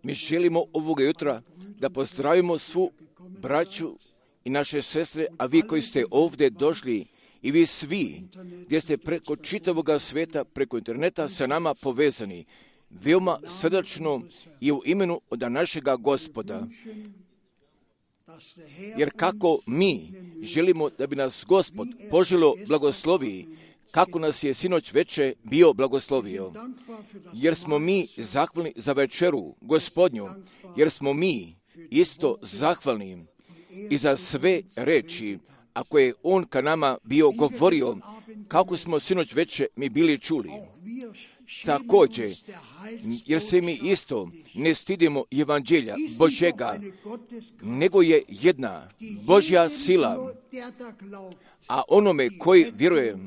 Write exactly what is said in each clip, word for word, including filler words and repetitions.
Mi želimo ovoga jutra da pozdravimo svu braću i naše sestre, a vi koji ste ovdje došli i vi svi gdje ste preko čitavoga svijeta, preko interneta sa nama povezani, veoma srdačno i u imenu od našega Gospoda. Jer kako mi želimo da bi nas Gospod poželo blagoslovi, kako nas je sinoć veče bio blagoslovio, jer smo mi zahvalni za večeru Gospodnju, jer smo mi isto zahvalni i za sve reči, ako je On ka nama bio govorio, kako smo sinoć veče mi bili čuli. Također, jer se mi isto ne stidimo evanđelja Božjega, nego je jedna Božja sila, a onome koji vjeruje,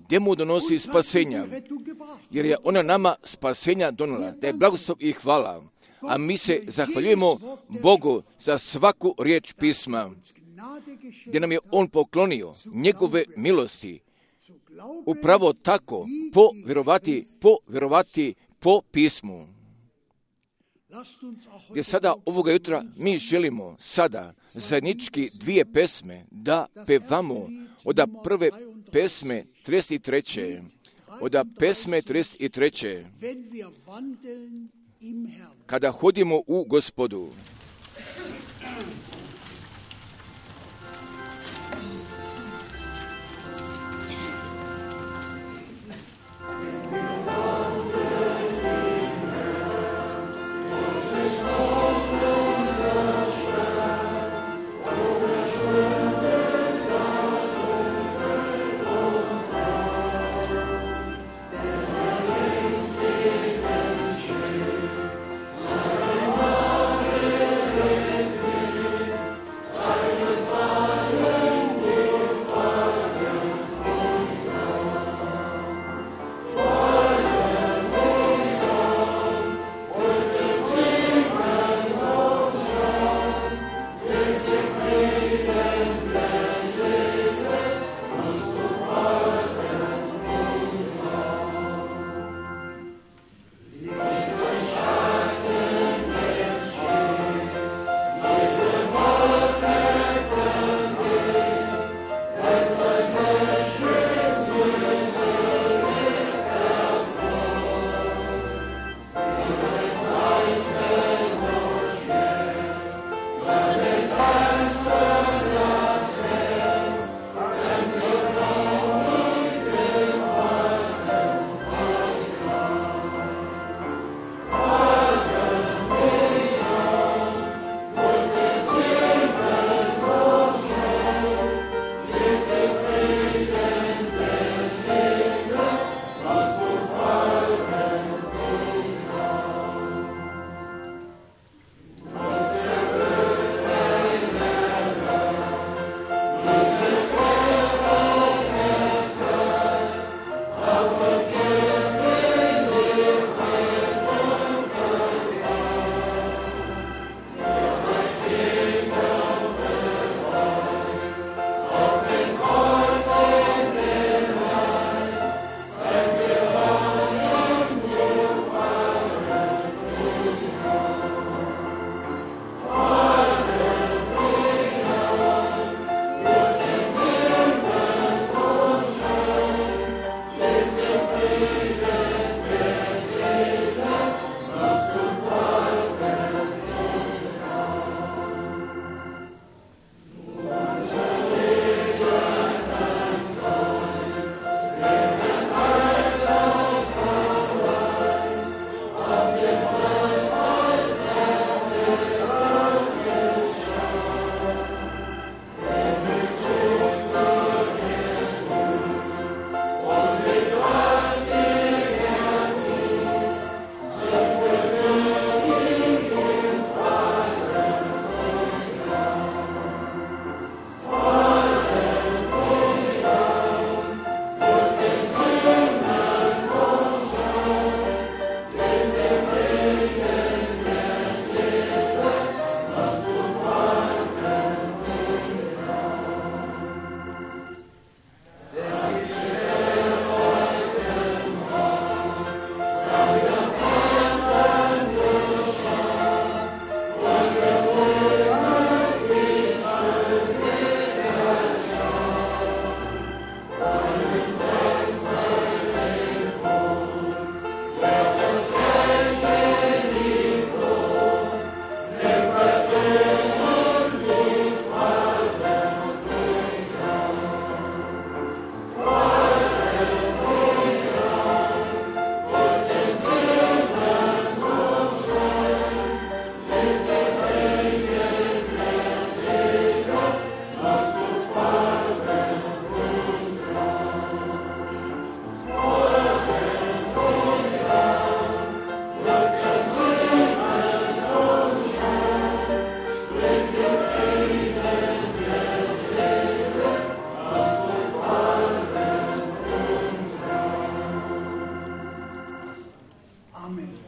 gdje mu donosi spasenja, jer je ona nama spasenja donijela, da je blagoslov i hvala. A mi se zahvaljujemo Bogu za svaku riječ pisma, gdje nam je On poklonio njegove milosti. Upravo tako, po vjerovati, po vjerovati po pismu. Gdje sada ovoga jutra mi želimo sada zajednički dvije pesme da pevamo od prve pesme trideset treće Od pesme trideset treće Kada hodimo u Gospodu.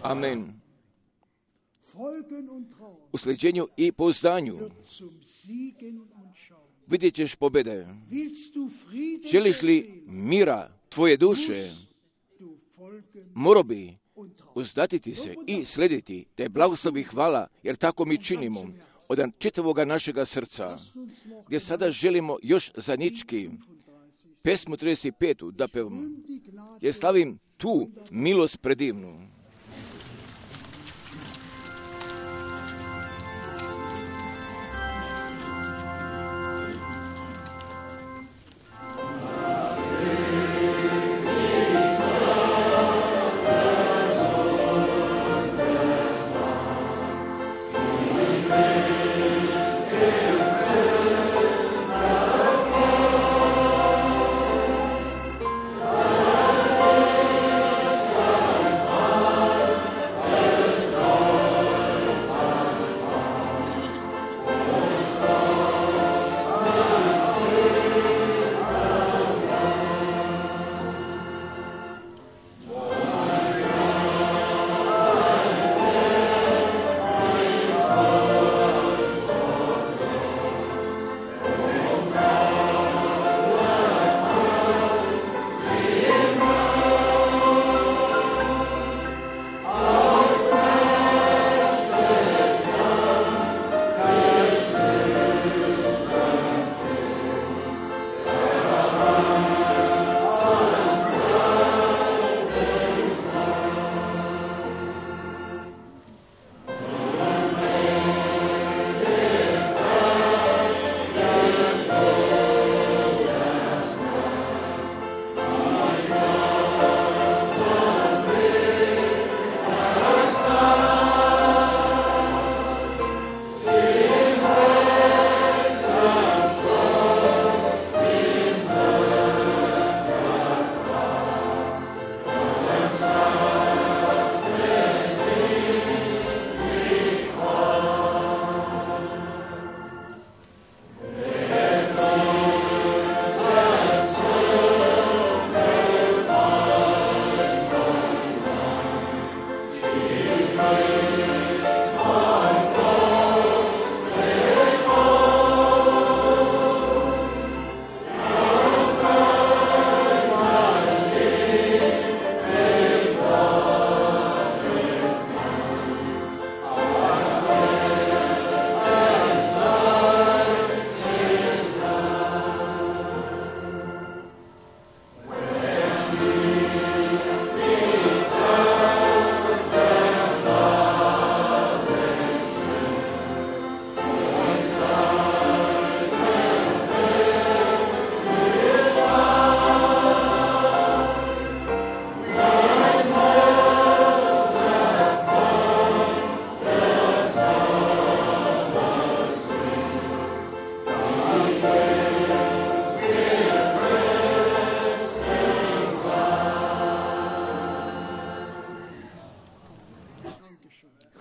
Amen. U sljeđenju i pouzdanju vidjet ćeš pobjede. Želiš li mira tvoje duše, morao bi uzdatiti se i slediti te blagoslovi hvala, jer tako mi činimo od čitavoga našega srca, gdje sada želimo još zajednički pesmu trideset pet da pevamo, jer slavim tu milost predivnu.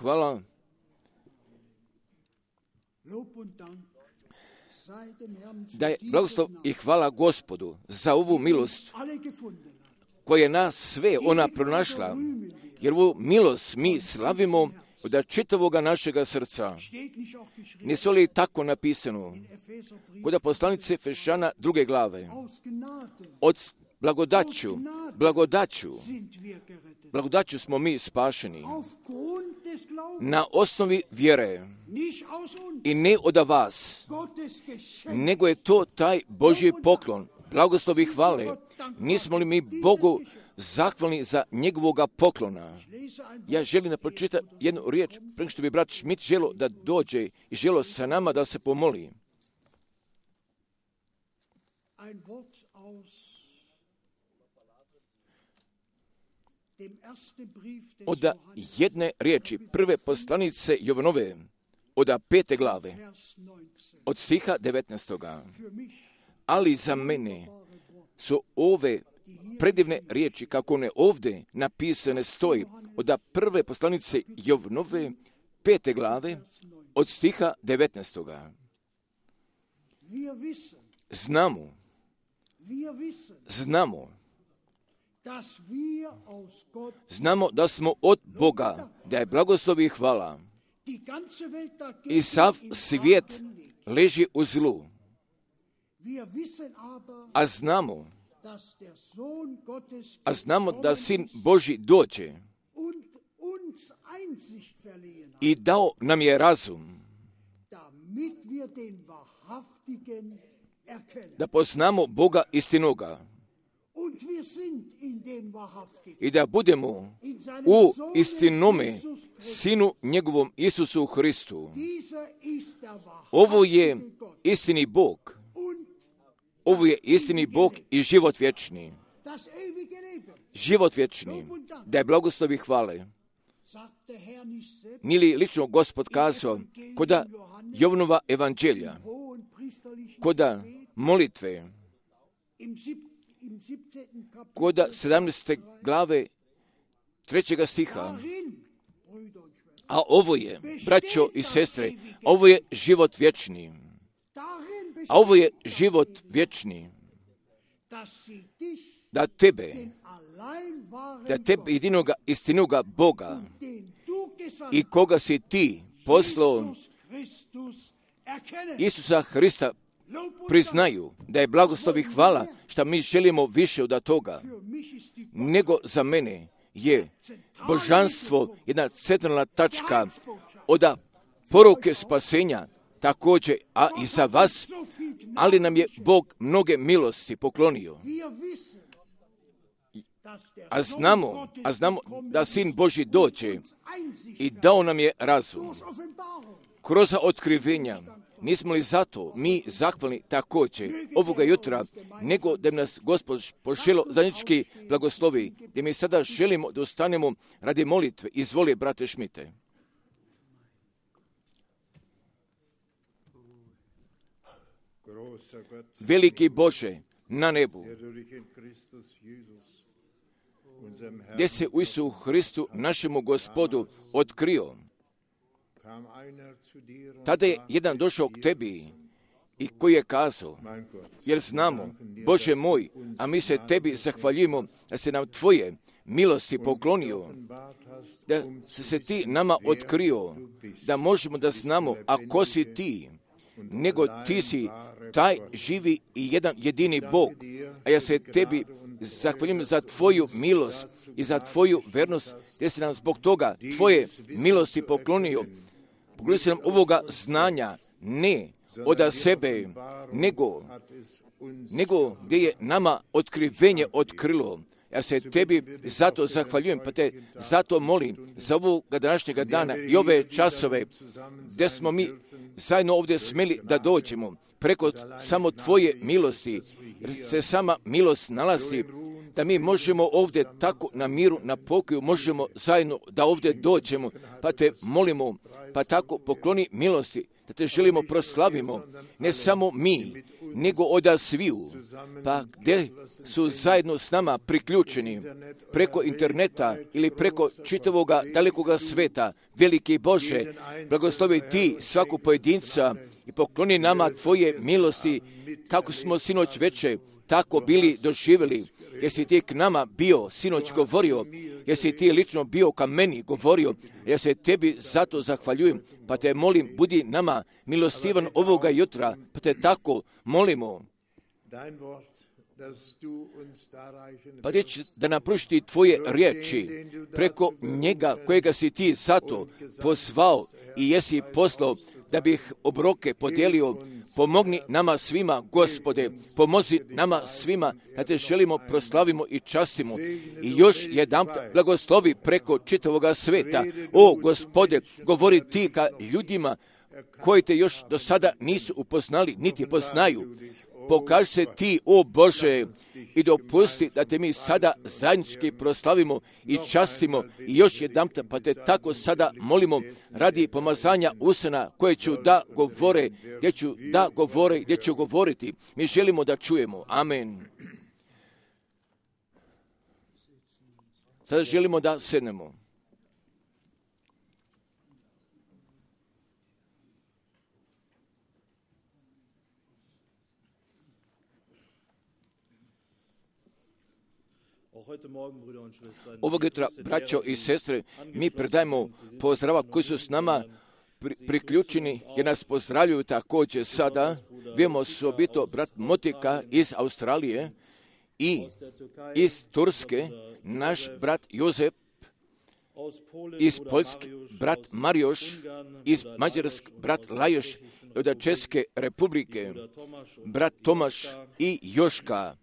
Hvala. Da je blagoslov i hvala Gospodu za ovu milost koja je nas sve ona pronašla, jer ovu milost mi slavimo od čitavoga našega srca. Nisu li tako napisano kod poslanice Efešana druge glave? Od blagodaću, blagodaću, blagodaću smo mi spašeni na osnovi vjere i ne od vas, nego je to taj Božji poklon, blagoslov i hvale. Nismo li mi Bogu zahvalni za njegovoga poklona? Ja želim da pročitam jednu riječ, prije što bi brat Schmidt želo da dođe i želo sa nama da se pomoli. Od jedne riječi prve poslanice Jovanove, od pete glave, od stiha devetnaestoga. Ali za mene su ove predivne riječi, kako one ovdje napisane stoji, od prve poslanice Jovanove, pete glave, od stiha devetnaestoga. Znamo, znamo Znamo da smo od Boga, da je blagoslov i hvala. I sav svijet leži u zlu. A znamo, a znamo da Sin Božji dođe i dao nam je razum da poznamo Boga istinoga i da budemo u istinome Sinu njegovom Isusu Hristu. Ovo je istini Bog. Ovo je istini Bog i život vječni. Život vječni, da je blagoslov i hvale. Nije li lično Gospod kazao koda Jovanova evanđelja, koda molitve, koda sedamnaeste glave trećega stiha. A ovo je, braćo i sestre, ovo je život vječni. A ovo je život vječni. Da tebe, da tebe jedinoga istinoga Boga i koga si ti poslao, Isusa Hrista, priznaju da je blagoslov i hvala što mi želimo više od toga, nego za mene je božanstvo jedna centralna tačka od poruke spasenja također, a i za vas, ali nam je Bog mnoge milosti poklonio. A znamo, a znamo da Sin Božji dođe i dao nam je razum. Kroz otkrivenja, nismo li zato mi zahvalni također ovoga jutra, nego da nas Gospod poželo zajednički blagoslovi, gdje mi sada želimo da ostanemo radi molitve. Izvoli, brate Šmite. Veliki Bože na nebu, gdje se u Isusu Hristu, našemu Gospodu, otkrio. Tada je jedan došao k tebi i koji je kazao, jer znamo, Bože moj, a mi se tebi zahvaljujemo da se nam tvoje milosti poklonio, da se, se ti nama otkrio, da možemo da znamo, a ko si ti, nego ti si taj živi i jedan jedini Bog, a ja se tebi zahvaljujem za tvoju milost i za tvoju vernost, gdje se nam zbog toga tvoje milosti poklonio. Poklonio se nam ovoga znanja, ne od sebe, nego, nego gdje je nama otkrivenje otkrilo. Ja se tebi zato zahvaljujem, pa te zato molim za ovoga današnjega dana i ove časove gdje smo mi zajedno ovdje smeli da dođemo preko samo tvoje milosti, jer se sama milost nalazi, da mi možemo ovdje tako na miru, na pokoju, možemo zajedno da ovdje dođemo, pa te molimo, pa tako pokloni milosti, da te želimo proslavimo, ne samo mi, nego od sviju, pa gdje su zajedno s nama priključeni preko interneta ili preko čitavoga dalekoga sveta. Veliki Bože, blagoslovi ti svaku pojedinca i pokloni nama tvoje milosti, kako smo sinoć veče tako bili doživjeli, jer si ti k nama bio, sinoć govorio, jer si ti lično bio ka meni govorio, ja se tebi zato zahvaljujem, pa te molim, budi nama milostivan ovoga jutra, pa te tako molimo. Pa reći da nam pružiti tvoje riječi preko njega kojega si ti zato pozvao i jesi poslao da bih obroke podijelio. Pomogni nama svima, Gospode, pomozi nama svima da te želimo, proslavimo i častimo. I još jedan blagoslovi preko čitavoga sveta. O, Gospode, govori ti ka ljudima koji te još do sada nisu upoznali, niti poznaju. Pokaži se ti, o Bože, i dopusti da te mi sada zajednički proslavimo i častimo i još jedan, pa te tako sada molimo radi pomazanja usana koje ću da govore, gdje ću da govore, gdje ću govoriti. Mi želimo da čujemo. Amen. Sada želimo da sednemo. Ovog jutra, braćo i sestre, mi predajemo pozdrava koji su s nama pri, priključeni, jer nas pozdravljuju također sada. Vijemo osobito brat Motika iz Australije i iz Turske, naš brat Jozef, iz Poljske brat Marioš, iz Mađarske brat Lajoš, od Česke republike brat Tomaš i Joška,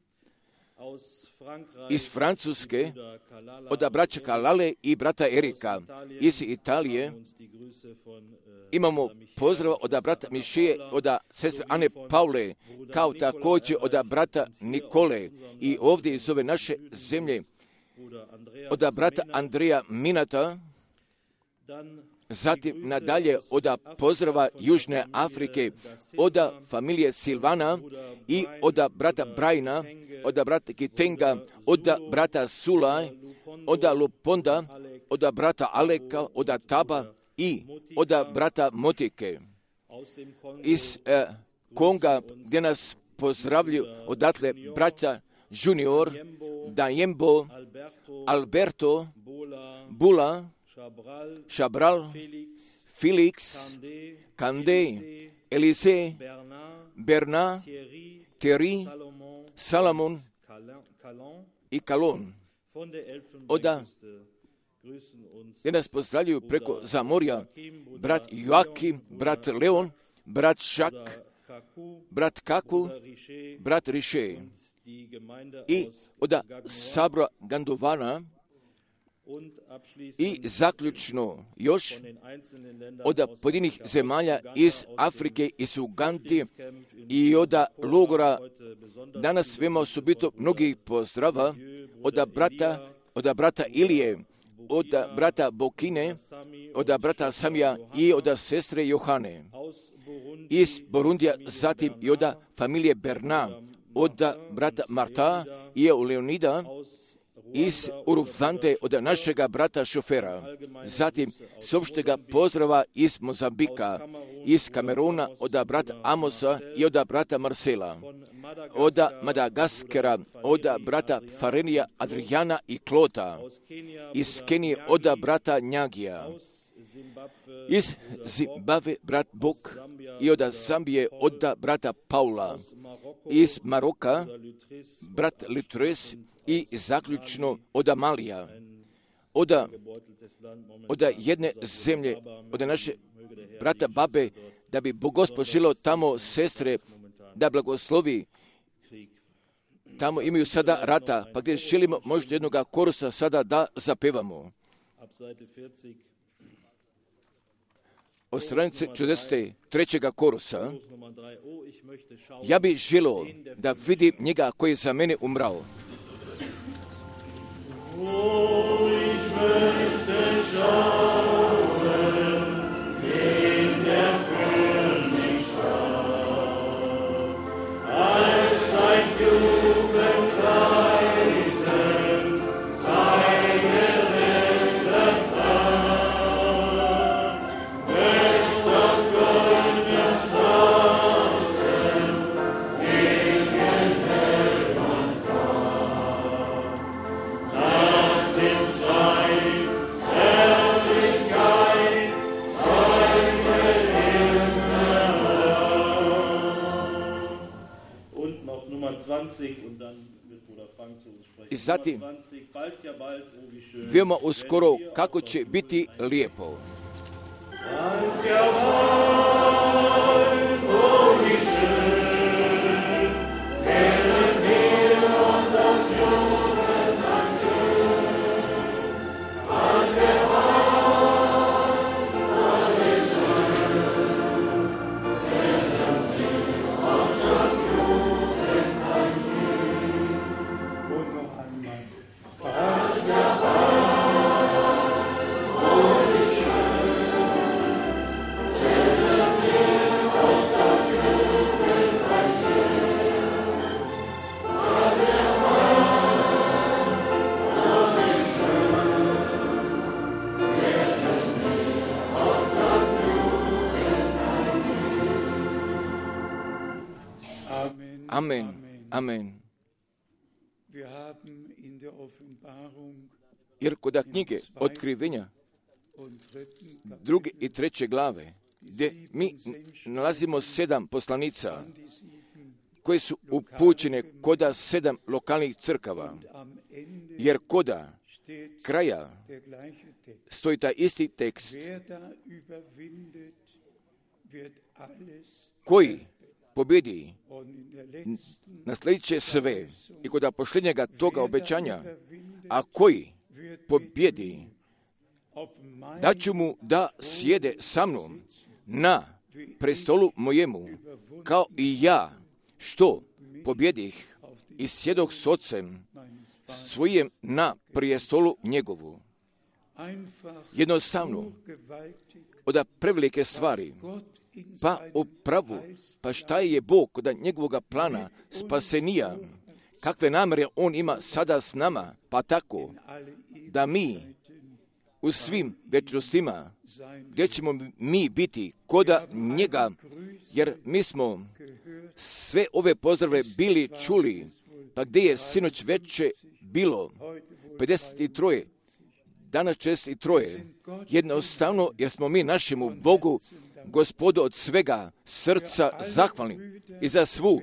iz Francuske od braća Kalale i brata Erika, iz Italije imamo pozdrav od brata Mišije, od sestre Ane Paule, kao također od brata Nikole i ovdje iz ove naše zemlje od brata Andreja Minata, zatim nadalje od pozdrava Južne Afrike, od familije Silvana i od brata Brajna, od brata Kitenga, od brata Sulaj, od Luponda, od brata Aleka, od Taba i od brata Motike. Iz eh, Konga, gdje nas pozdravlju odatle brata Junior, Dajembo, Alberto, Bula, Chabral, Felix, Kande, Elise, Bernard, Thierry, Salomon i Kalon. Oda, gdje nas pozdravljaju preko Zamorja, brat Joakim, brat Leon, brat Šak, brat Kaku, brat Riše i od Sabra Gandovana i zaključno još od pojedinih zemalja iz Afrike, iz Ugandi i od logora. Danas svema osobito mnogih pozdrava od brata, od brata Ilije, od brata Bokine, od brata Samija i od sestre Johane. Iz Burundija, zatim i od familije Berna, od brata Marta i Leonida, iz Urufante od našega brata šofera, zatim s opštega pozdrava iz Mozambika, iz Kameruna od brata Amosa i od brata Marcela, od Madagaskara, od brata Farenija, Adriana i Klota, iz Kenije od brata Njagija, iz Zimbabve brat Bok i od Zambije od brata Paula, iz Maroka brat Litres i zaključno od Amalija, od, od jedne zemlje, od naše brata Babe, da bi Gospod želio tamo sestre da blagoslovi. Tamo imaju sada rata, pa gdje želimo možda jednog korusa sada da zapevamo. Od stranice četrdeset trećeg korusa, ja bih želio da vidim njega koji je za mene umrao. Oh, ich möchte schauen, den der für mich starb, als ein Jugendpreisen seine Rettung tat, möcht auf goldenen Straßen singen hell und klar. Nach dem Streit, Herrlichkeit, Freude Himmel. Und noch Nummer zwanzig und dann wird Bruder Frank zu uns sprechen. I zatim, Nummer zwanzig, bald ja bald, oh wie schön. veoma uskoro kako će biti lijepo. Bald ja bald, oh wie schön, werden wir und am Jubel vergehen. Bald ja bald, oh wie schön, werden wir und am Jubel vergehen. Und noch einmal. Bald ja bald, oh wie schön, werden wir und am Jubel vergehen. Bald ja bald, oh wie schön, werden wir und am Jubel vergehen. Amen. Amen. Amen. Wir haben in der Jer kod knjige Otkrivenja druge i treće glave, gdje mi nalazimo sedam poslanica koje su upućene koda sedam lokalnih crkava, jer koda kraja stoji taj isti tekst, koji pobjedi naslijedit će sve, i kod posljednjega toga obećanja, a koji pobjedi, da ću mu da sjede sa mnom na prestolu mojemu, kao i ja, što pobjedih i sjedok s ocem svojem na prijestolu njegovu. Jednostavno, od prevelike stvari, pa upravu, pa šta je Bog kod njegovog plana spasenija, kakve namere on ima sada s nama, pa tako da mi u svim večnostima, gdje ćemo mi biti koda njega, jer mi smo sve ove pozdrave bili čuli, pa gdje je sinoć veče bilo pedeset tri, danas šezdeset tri, jednostavno jer smo mi našemu Bogu, Gospodu, od svega srca zahvalni i za svu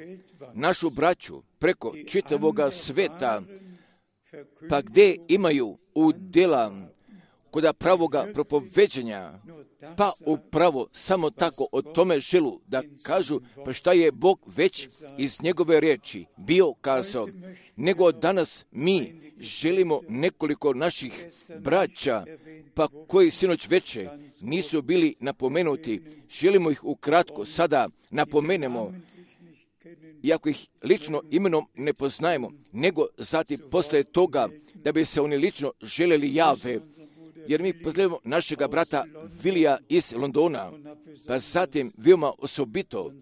našu braću preko čitavoga sveta, pa gdje imaju udjela kod pravoga propoveđenja, pa upravo samo tako o tome želu da kažu, pa šta je Bog već iz njegove riječi bio kazao, nego danas mi želimo nekoliko naših braća, pa koji sinoć veče nisu bili napomenuti, želimo ih ukratko sada napomenemo, iako ih lično imenom ne poznajemo, nego zatim poslije toga da bi se oni lično željeli jave, jer mi pozdravimo našega brata Vilija iz Londona, pa zatim veoma osobito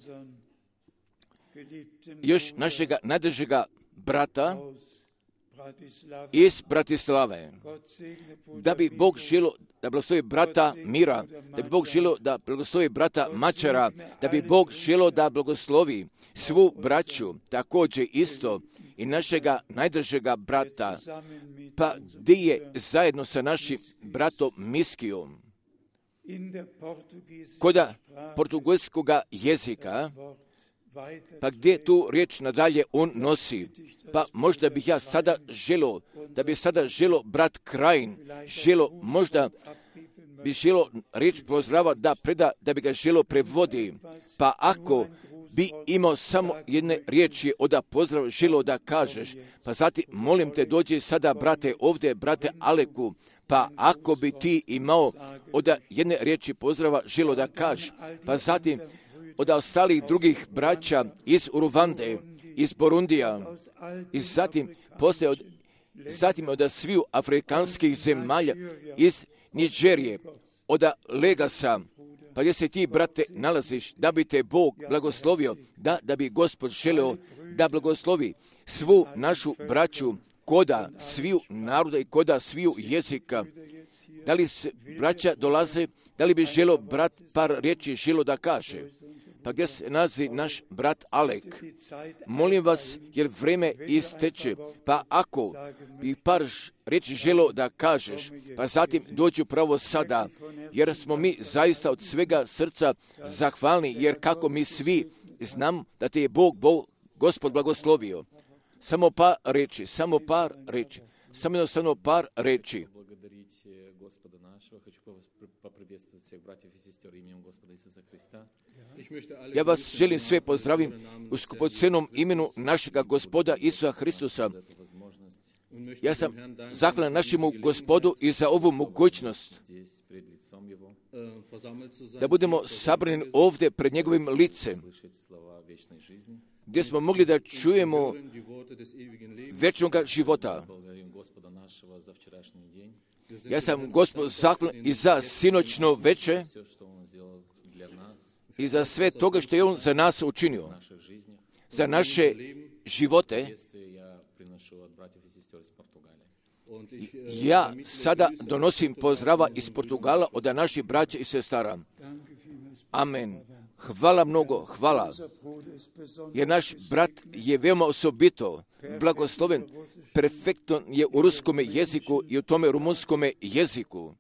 još našega najdražega brata iz Bratislave, da bi Bog želio da blagoslovi brata Mira, da bi Bog želio da blagoslovi brata Mačara, da bi Bog želio da blagoslovi svu braću, također isto i našega najdražega brata, pa gdje je zajedno sa našim bratom Miskijom, koda portugalskoga jezika, pa gdje tu riječ nadalje on nosi. Pa možda bih ja sada želo, da bi sada želo brat Krajin, želo možda bi želo riječ pozdrava da preda, da bi ga želo prevodi. Pa ako bi imao samo jedne riječi od pozdrav želo da kažeš, pa zatim molim te dođi sada brate ovdje, brate Aleku, pa ako bi ti imao od jedne riječi pozdrava želo da kažeš, pa zatim od ostalih drugih braća iz Uruvande, iz Borundija, i zatim poslije od, zatim od sviju afrikanskih zemalja, iz Niđerije, od Legasa, pa gdje se ti, brate, nalaziš, da bi te Bog blagoslovio, da, da bi Gospod želeo da blagoslovi svu našu braću koda sviju naroda i koda sviju jezika. Da li se braća dolaze, da li bi želio brat par riječi želio da kaže? Pa gdje se nalazi naš brat Alek? Molim vas, jer vreme isteče, pa ako bi par riječi želio da kažeš, pa zatim dođu pravo sada, jer smo mi zaista od svega srca zahvalni, jer kako mi svi znam da te je Bog, Bog Gospod blagoslovio. Samo par riječi, samo par riječi, samo jednostavno par riječi. Ja vas želim sve pozdravim u skupocenom imenu našega Gospoda Isusa Hristusa. Ja sam zahvalan našemu Gospodu i za ovu mogućnost da budemo sabrani ovdje pred njegovim licem, gdje smo mogli da čujemo vječnog života. Ja sam Gospod zahvalan i za sinoćno veče i za sve toga što je on za nas učinio, za naše živote. Ja sada donosim pozdrava iz Portugala od naših braća i sestara. Amen. Hvala mnogo, hvala. Jer naš brat je veoma osobito blagosloven, perfektno je u ruskome jeziku i u tome rumunskome jeziku.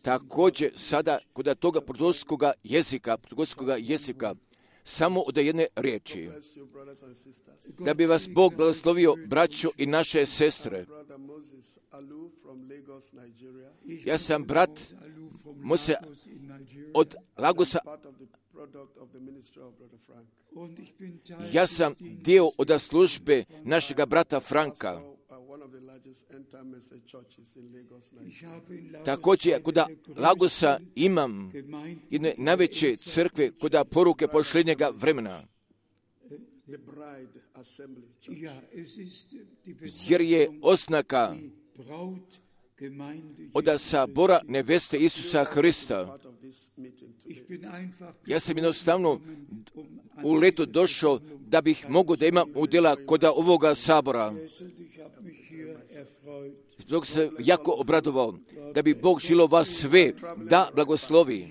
Također sada kod toga portugalskoga jezika, portugalskoga jezika, samo od jedne riječi. Da bi vas Bog blagoslovio, braćo i naše sestre. Ja sam brat Mose od Lagosa. Ja sam dio od službe našega brata Franka. Također, kod Lagosa imam jedne najveće crkve kod poruke posljednjega vremena. Jer je oznaka od sabora neveste Isusa Hrista. Ja sam jednostavno u letu došao da bih mogao da imam udjela kod ovoga sabora. Zbog se jako obradovao da bi Bog želio vas sve da blagoslovi.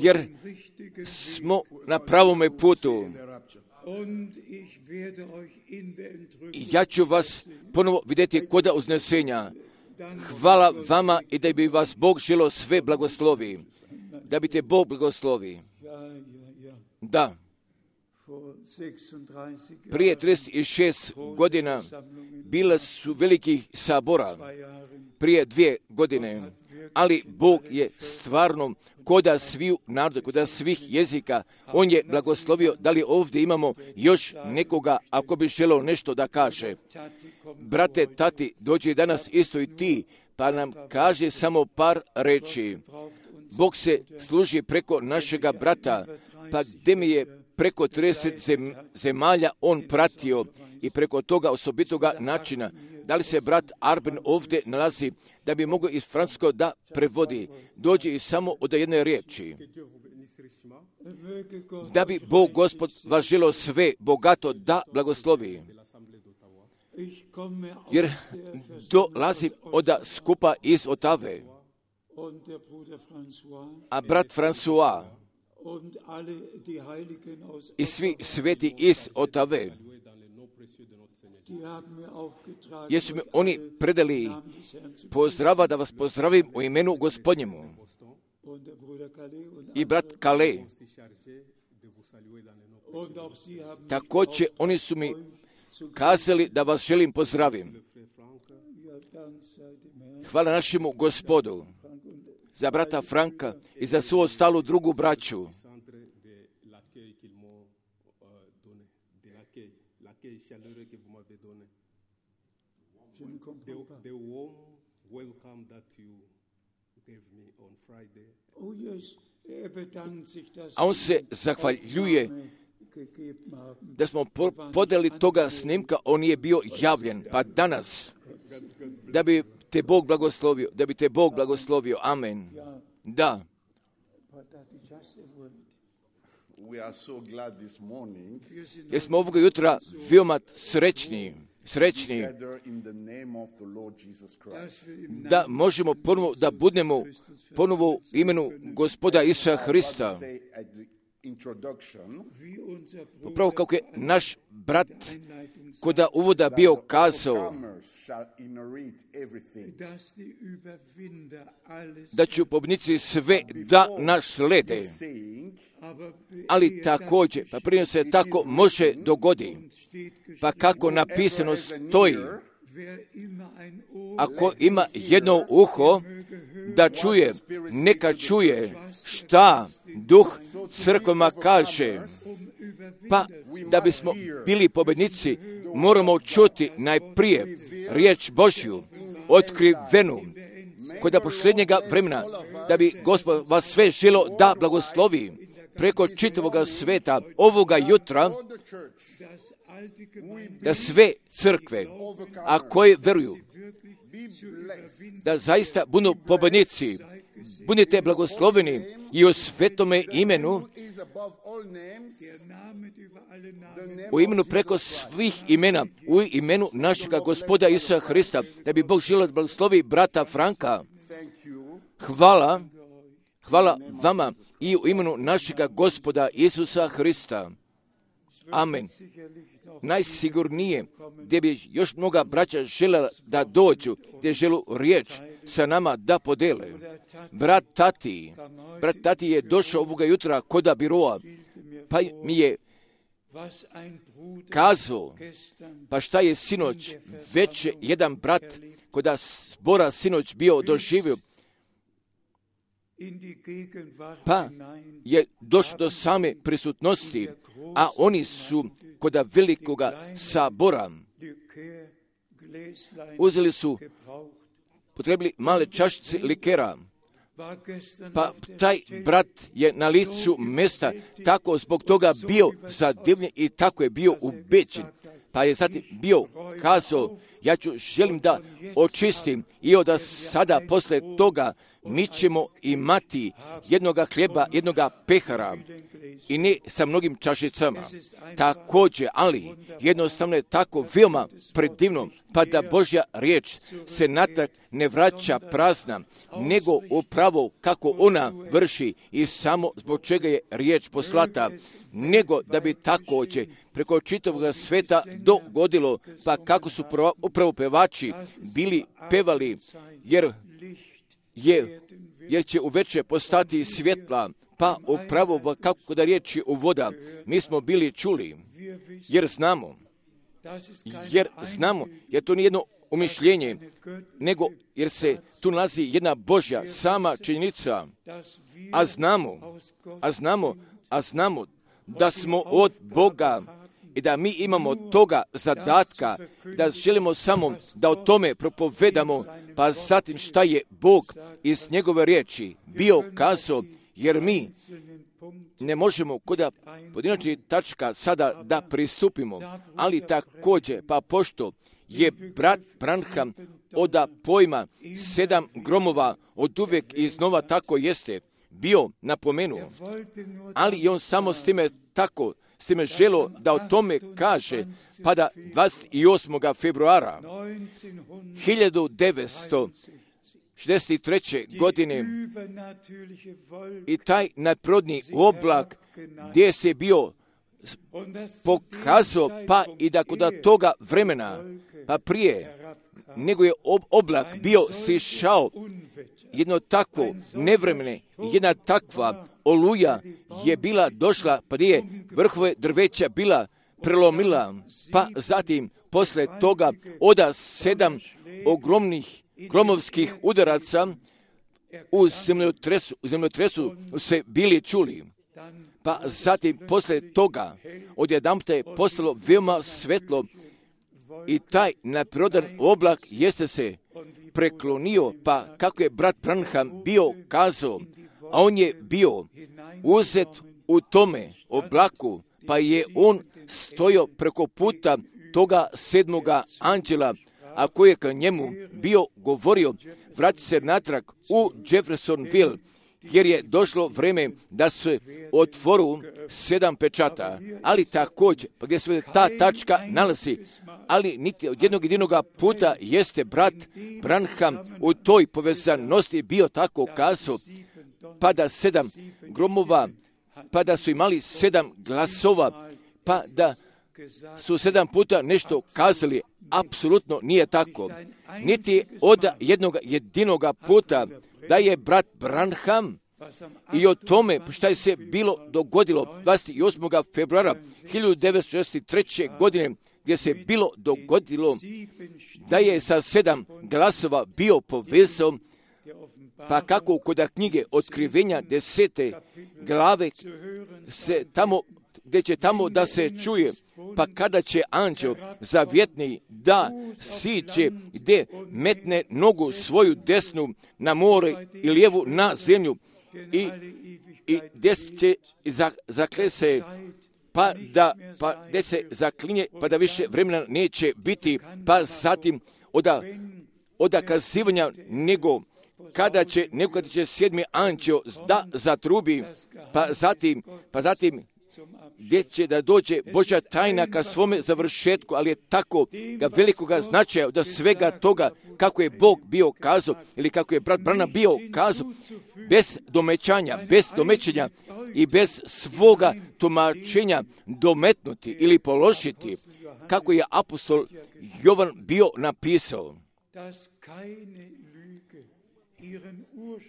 Jer smo na pravome putu. I ja ću vas ponovo vidjeti kod uznesenja. Hvala vama i da bi vas Bog želio sve blagoslovi. Da bi te Bog blagoslovi. Da. Prije trideset šest godina bila su velikih sabora. Prije dvije godine. Ali Bog je stvarno koda svih naroda, koda svih jezika, On je blagoslovio. Da li ovdje imamo još nekoga ako bi želio nešto da kaže? Brate, tati, dođi danas isto i ti, pa nam kaže samo par reči. Bog se služi preko našega brata, pa gdje mi je preko trideset zem, zemalja on pratio i preko toga osobitoga načina. Da li se brat Arben ovdje nalazi da bi mogao iz francuskog da prevodi? Dođe i samo od jedne riječi. Da bi Bog Gospod vas želio sve bogato da blagoslovi. Jer dolazi od skupa iz Otave. A brat François i svi sveti iz Otave, jesu mi oni predali pozdrava da vas pozdravim u imenu Gospodnjemu. I brat Kale. Također oni su mi kazali da vas želim pozdravim. Hvala našemu Gospodu za brata Franka i za svu ostalu drugu braću. A on se zahvaljuje da smo podeli toga snimka, on je bio javljen. Pa danas, da bi te Bog blagoslovio, da bi te Bog blagoslovio. Amen. Da. Jer smo ovoga jutra veoma srećni, srećni da možemo ponovo da budemo ponovo u imenu Gospoda Isusa Hrista. Upravo kako je naš brat koda uvoda bio kazao da će pobjednici sve da nas slede. Ali također, pa prije se tako može dogodi, pa kako napisano stoji, ako ima jedno uho da čuje, neka čuje šta Duh crkvama kaže. Pa da bismo bili pobjednici, moramo čuti najprije riječ Božju, otkrivenu, kod posljednjega vremena, da bi Gospod vas sve želio da blagoslovi preko čitavoga sveta ovoga jutra, da sve crkve, a koje veruju, da zaista budu pobjednici, budite blagosloveni i u svetome imenu, u imenu preko svih imena, u imenu našega Gospoda Isusa Hrista, da bi Bog želio blagoslovi brata Franka. Hvala, hvala vama i u imenu našega Gospoda Isusa Hrista. Amen. Najsigurnije gdje bi još mnoga braća željela da dođu, gdje želu riječ sa nama da podele. Brat Tati, brat Tati je došao ovoga jutra koda biroa, pa mi je kazao, pa šta je sinoć već jedan brat koda zbora sinoć bio doživio, pa je došlo do same prisutnosti, a oni su koda velikoga sabora uzeli su, potrebili male čašice likera, pa taj brat je na licu mjesta tako zbog toga bio zadivljen i tako je bio ubeđen. Pa je zatim bio kazao, ja ću želim da očistim i od sada posle toga mi ćemo imati jednoga hljeba, jednoga pehara i ne sa mnogim čašicama. Također, ali jednostavno je tako veoma predivno, pa da Božja riječ se natrag ne vraća prazna, nego upravo kako ona vrši i samo zbog čega je riječ poslata, nego da bi također preko čitavog sveta dogodilo, pa kako su upravo pevači bili pevali, jer je, jer će uveče postati svjetla, pa upravo kako da riječi u voda, mi smo bili čuli, jer znamo, jer znamo, jer to nije jedno umišljenje, nego jer se tu nalazi jedna Božja sama činjenica, a znamo, a znamo, a znamo da smo od Boga i da mi imamo toga zadatka, da želimo samo da o tome propovedamo, pa zatim šta je Bog iz njegove riječi bio kazao, jer mi ne možemo kod pojedinačnih tačka sada da pristupimo, ali također, pa pošto je brat Branham od pojma sedam gromova od uvijek iznova tako jeste bio napomenuo, ali i on samo s time tako, s time želo da o tome kaže, pa da dvadeset osmog februara hiljadu devetsto šezdeset treće. godine i taj nadprirodni oblak gdje se bio pokazao, pa i da kod toga vremena, pa prije nego je oblak bio sišao, jedno takvo nevremene, jedna takva oluja je bila došla, pa je vrhove drveća bila prelomila, pa zatim posle toga oda sedam ogromnih gromovskih udaraca u zemljotresu, u zemljotresu se bili čuli. Pa zatim posle toga odjedanputa je postalo veoma svetlo i taj nadprirodan oblak jeste se preklonio, pa kako je brat Branham bio kazao, a on je bio uzet u tome oblaku, pa je on stojao preko puta toga sedmoga anđela, a koji je ka njemu bio govorio, vrati se natrag u Jeffersonville, jer je došlo vreme da se otvoru sedam pečata, ali također, pa gdje se ta tačka nalazi, ali niti od jednog jedinoga puta jeste brat Branham u toj povezanosti bio tako kazao, pa da sedam gromova, pa da su imali sedam glasova, pa da su sedam puta nešto kazali, apsolutno nije tako. Niti od jednog jedinoga puta da je brat Branham i o tome šta je se bilo dogodilo dvadeset osmog februara hiljadu devetsto šezdeset treće. godine, gdje se bilo dogodilo da je sa sedam glasova bio povezao, pa kako kod knjige Otkrivenja desete glave se tamo, gdje će tamo da se čuje, pa kada će anđeo zavjetni da siće gdje metne nogu svoju desnu na more i lijevu na zemlju i, i gdje će zaklese pa da pa gdje se zaklinje pa da više vremena neće biti, pa zatim oda, oda kazivanja nego kada će, nego kada će sedmi anđeo da zatrubi, pa zatim, pa zatim gdje će da dođe Božja tajna ka svome završetku, ali je tako ga velikoga značaja da svega toga kako je Bog bio kazao ili kako je brat Branham bio kazao, bez domećanja, bez domećenja i bez svoga tumačenja dometnuti ili položiti, kako je apostol Jovan bio napisao.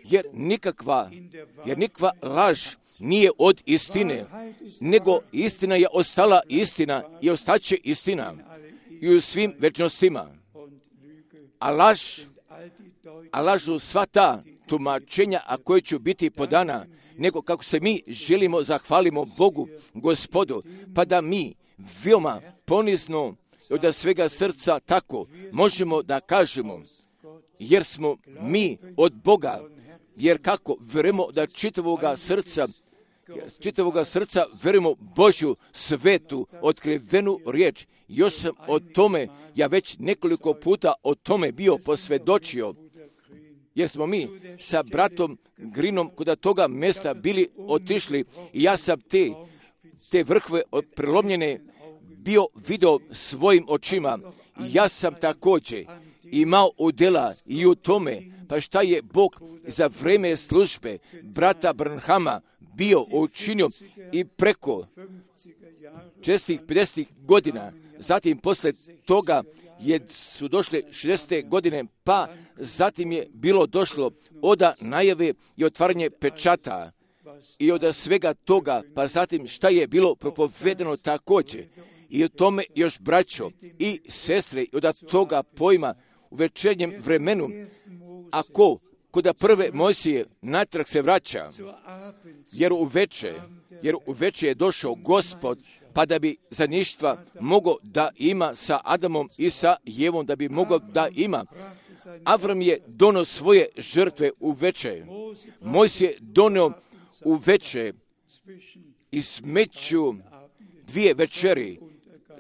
Jer nikakva, jer nikakva laž nije od istine, nego istina je ostala istina i ostaće istina i u svim večnostima. A laž, a lažu sva ta tumačenja, a koje će biti podana, nego kako se mi želimo zahvalimo Bogu, Gospodu, pa da mi veoma ponizno od svega srca tako možemo da kažemo, jer smo mi od Boga, jer kako verujemo da čitavoga srca, čitavoga srca verujemo Božju svetu, otkrivenu riječ. Još sam o tome, ja već nekoliko puta o tome bio posvjedočio, jer smo mi sa bratom Grinom kod toga mjesta bili otišli i ja sam te, te vrhve od prelomljene bio video svojim očima. Ja sam također imao udjela i u tome, pa šta je Bog za vrijeme službe brata Branhama bio učinio i preko čestih pedeset godina, zatim posle toga je, su došle šezdesete godine, pa zatim je bilo došlo oda najave i otvaranje pečata i od svega toga, pa zatim šta je bilo propovedeno također. I o tome još braćo i sestre od toga pojma u večernjem vremenu, ako kod prve Mojsije natrag se vraća, jer u veče, jer u veče je došao Gospod, pa da bi za ništva mogao da ima sa Adamom i sa Jevom, da bi mogao da ima. Avram je donio svoje žrtve u veče. Mojsije je donio u veče i smeću dvije večeri,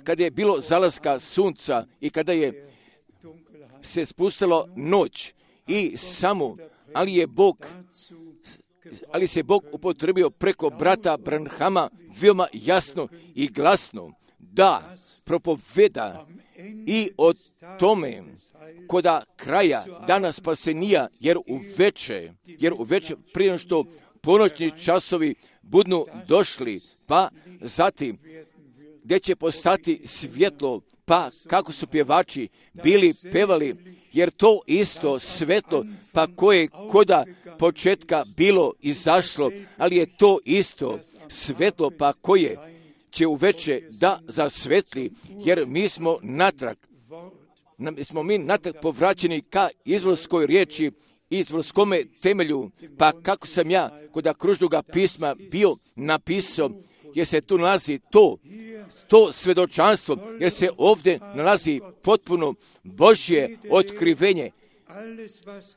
kada je bilo zalaska sunca i kada je se spustilo noć i samo, ali je Bog, ali se Bog upotrebio preko brata Branhama veoma jasno i glasno da propoveda i o tome koda kraja dana spasenija, jer u veče, jer u veče prije što ponoćni časovi budnu došli, pa zatim gdje će postati svjetlo, pa kako su pjevači bili pevali, jer to isto svetlo, pa koje koda početka bilo izašlo, ali je to isto svetlo, pa koje će uveče da zasvetli, jer mi smo natrag, mi smo mi natrag povraćeni ka izvorskoj riječi, izvorskome temelju, pa kako sam ja kod kružnoga pisma bio napisao, jer se tu nalazi to, to svedočanstvo, jer se ovdje nalazi potpuno Božje otkrivenje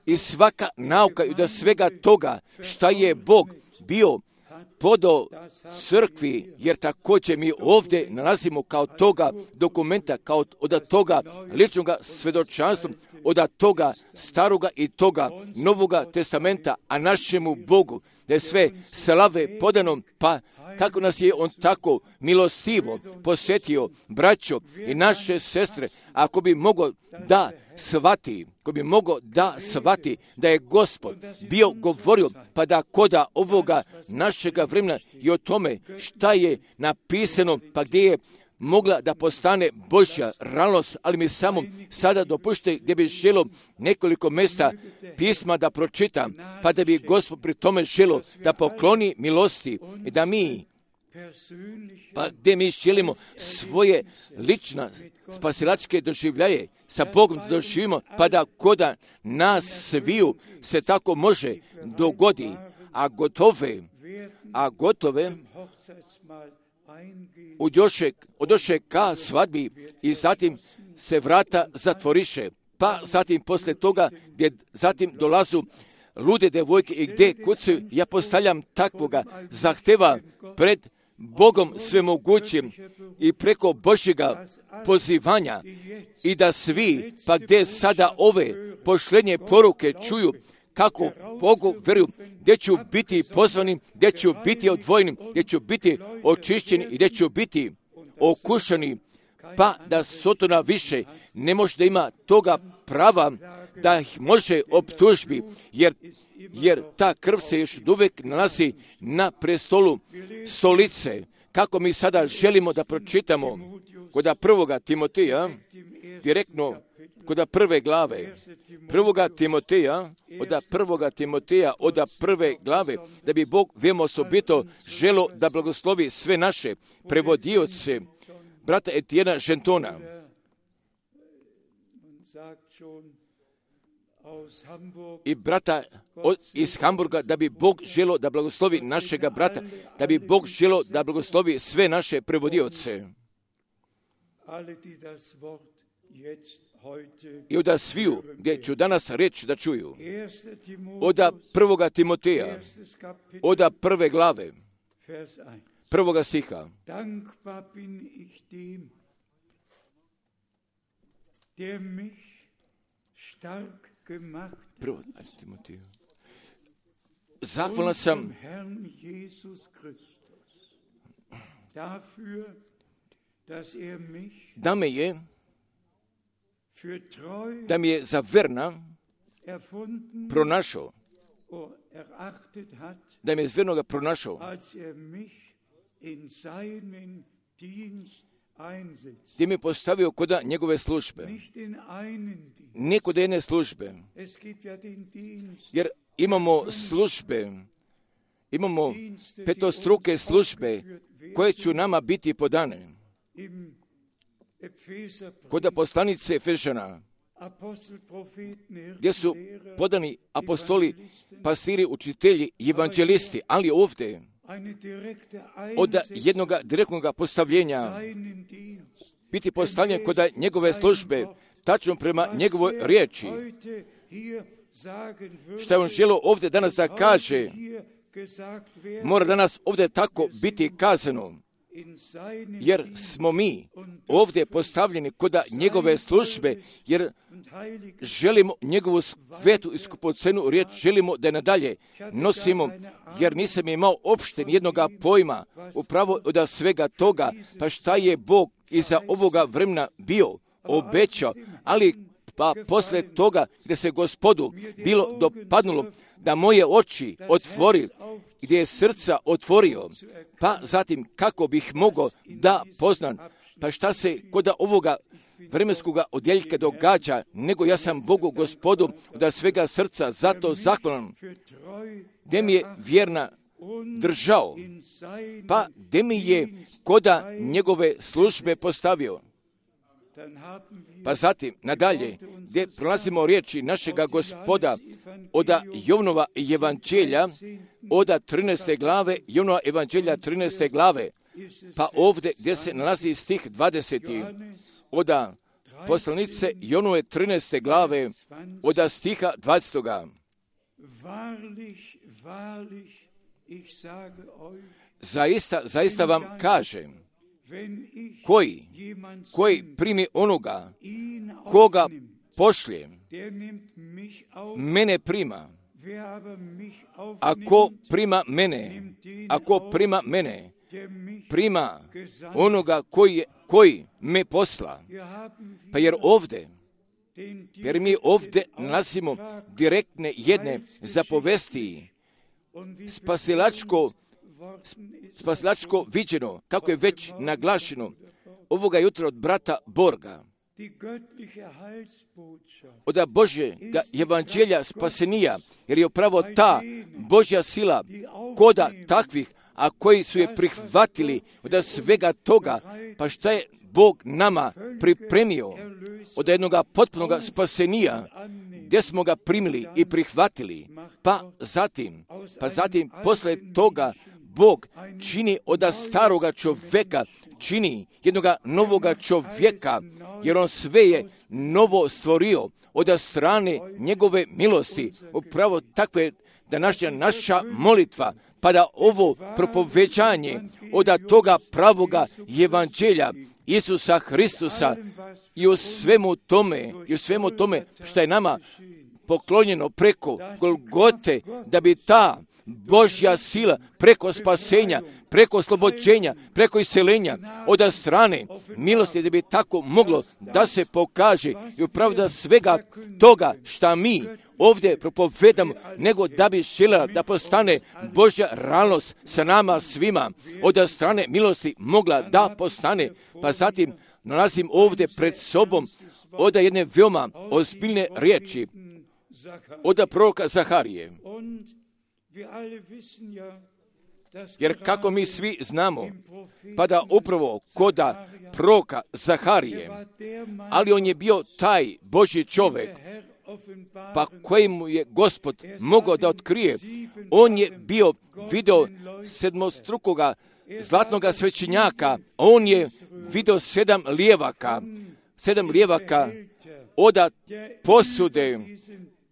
i svaka nauka i do svega toga šta je Bog bio podao crkvi, jer također mi ovdje nalazimo kao toga dokumenta, kao od toga ličnog svedočanstva, od toga staroga i toga novoga testamenta, a našemu Bogu, da je sve slave podano, pa kako nas je on tako milostivo posjetio, braćo i naše sestre, ako bi mogao da shvati, ko bi mogao da shvati da je Gospod bio govorio, pa da koda ovoga našega vremena i o tome šta je napisano, pa gdje je mogla da postane Božja realnost, ali mi samo sada dopušte gdje bi želo nekoliko mjesta pisma da pročitam, pa da bi Gospod pri tome želo da pokloni milosti i da mi, pa gdje mi želimo svoje lična spasilačke doživljaje sa Bogom da doživimo, pa da koda nas sviju se tako može dogodi, a gotove, a gotove Udoše, odoše ka svadbi i zatim se vrata zatvoriše, pa zatim posle toga gdje zatim dolazu lude devojke i gdje kucaju, ja postavljam takvoga zahteva pred Bogom svemogućim i preko Božjega pozivanja i da svi, pa gdje sada ove pošlenje poruke čuju, kako Bogu veruju, gdje ću biti pozvanim, gdje ću biti odvojenim, gdje ću biti očišćeni i gdje ću biti okušani, pa da Sotona više ne može da ima toga prava da ih može optužbi, jer, jer ta krv se još uvijek nalazi na prestolu stolice. Kako mi sada želimo da pročitamo kod prvoga Timoteja, direktno kod prve glave, prvoga Timoteja, od prvoga Timoteja, od prve glave, da bi Bog veoma osobito želo da blagoslovi sve naše prevodioce, brata Etijena Žentona. I brata od, iz Hamburga, da bi Bog želo da blagoslovi našega brata, da bi Bog želo da blagoslovi sve naše prevodioce. I od sviju, gdje ću danas reći da čuju, od prvoga Timoteja, od prve glave, prvoga stiha. Prvo, Timoteju. Zahvalan sam da me je da mi je za verna pronašao, da mi je vernoga pronašao, gdje mi je postavio kod njegove službe, ne kod jedne službe, jer imamo službe, imamo petostruke službe koje će nama biti podane. Kod poslanice Efežana, gdje su podani apostoli, pastiri, učitelji, evanđelisti, ali ovdje od jednog direktnog postavljenja biti postavljen kod njegove službe, tačno prema njegovoj riječi. Što je on želio ovdje danas da kaže, mora danas ovdje tako biti kazano, jer smo mi ovdje postavljeni kod njegove službe, jer želimo njegovu svetu i skupocenu riječ, želimo da je nadalje nosimo, jer nisam imao opšte jednoga pojma upravo od svega toga, pa šta je Bog iza ovoga vremena bio obećao, ali pa posle toga gdje se Gospodu bilo dopadnulo da moje oči otvori, gdje je srca otvorio, pa zatim kako bih mogao da poznam, pa šta se kod ovoga vremenskoga odjeljka događa, nego ja sam Bogu Gospodu od svega srca zato zahvalan, gdje mi je vjerna držao, pa gdje mi je koda njegove službe postavio. Pa zatim, nadalje, gdje prolazimo riječi našega Gospoda od Jovnova evanđelja, od trinaeste glave, Jovnova evanđelja trinaeste glave, pa ovdje gdje se nalazi stih dvadeseti, od poslanice Jovnove trinaeste glave, od stiha dvadesetoga. Zaista, zaista vam kažem, koji, koji primi onoga, koga pošlje, mene prima. Ako prima mene, ako prima mene, prima onoga koji, koji me posla. Pa jer ovdje, jer mi ovdje nalazimo direktne jedne zapovesti, spasilačko spasilačko viđeno, kako je već naglašeno ovoga jutra od brata Borga, od Božjega evanđelja spasenija, jer je upravo ta Božja sila koda takvih, a koji su je prihvatili od svega toga, pa šta je Bog nama pripremio od jednog potpunog spasenija, gdje smo ga primili i prihvatili, pa zatim, pa zatim posle toga Bog čini od staroga čovjeka, čini jednog novoga čovjeka, jer on sve je novo stvorio od strane njegove milosti. Upravo takve današnja naša molitva, pa da ovo propoveđanje od toga pravoga evanđelja Isusa Hristusa i u svemu tome, i u svemu tome što je nama poklonjeno preko Golgote, da bi ta Božja sila preko spasenja, preko oslobođenja, preko iseljenja od strane milosti, da bi tako moglo da se pokaže i upravo da svega toga šta mi ovdje propovedamo, nego da bi željela da postane Božja realnost sa nama svima, od strane milosti mogla da postane. Pa zatim nalazim ovdje pred sobom od jedne veoma ozbiljne riječi od proroka Zaharije. Jer kako mi svi znamo, pa da upravo koda proroka Zaharije, ali on je bio taj Božji čovjek, pa kojemu je Gospod mogao da otkrije. On je bio video sedmostrukoga zlatnoga svećenjaka, on je video sedam lijevaka, sedam lijevaka od posude,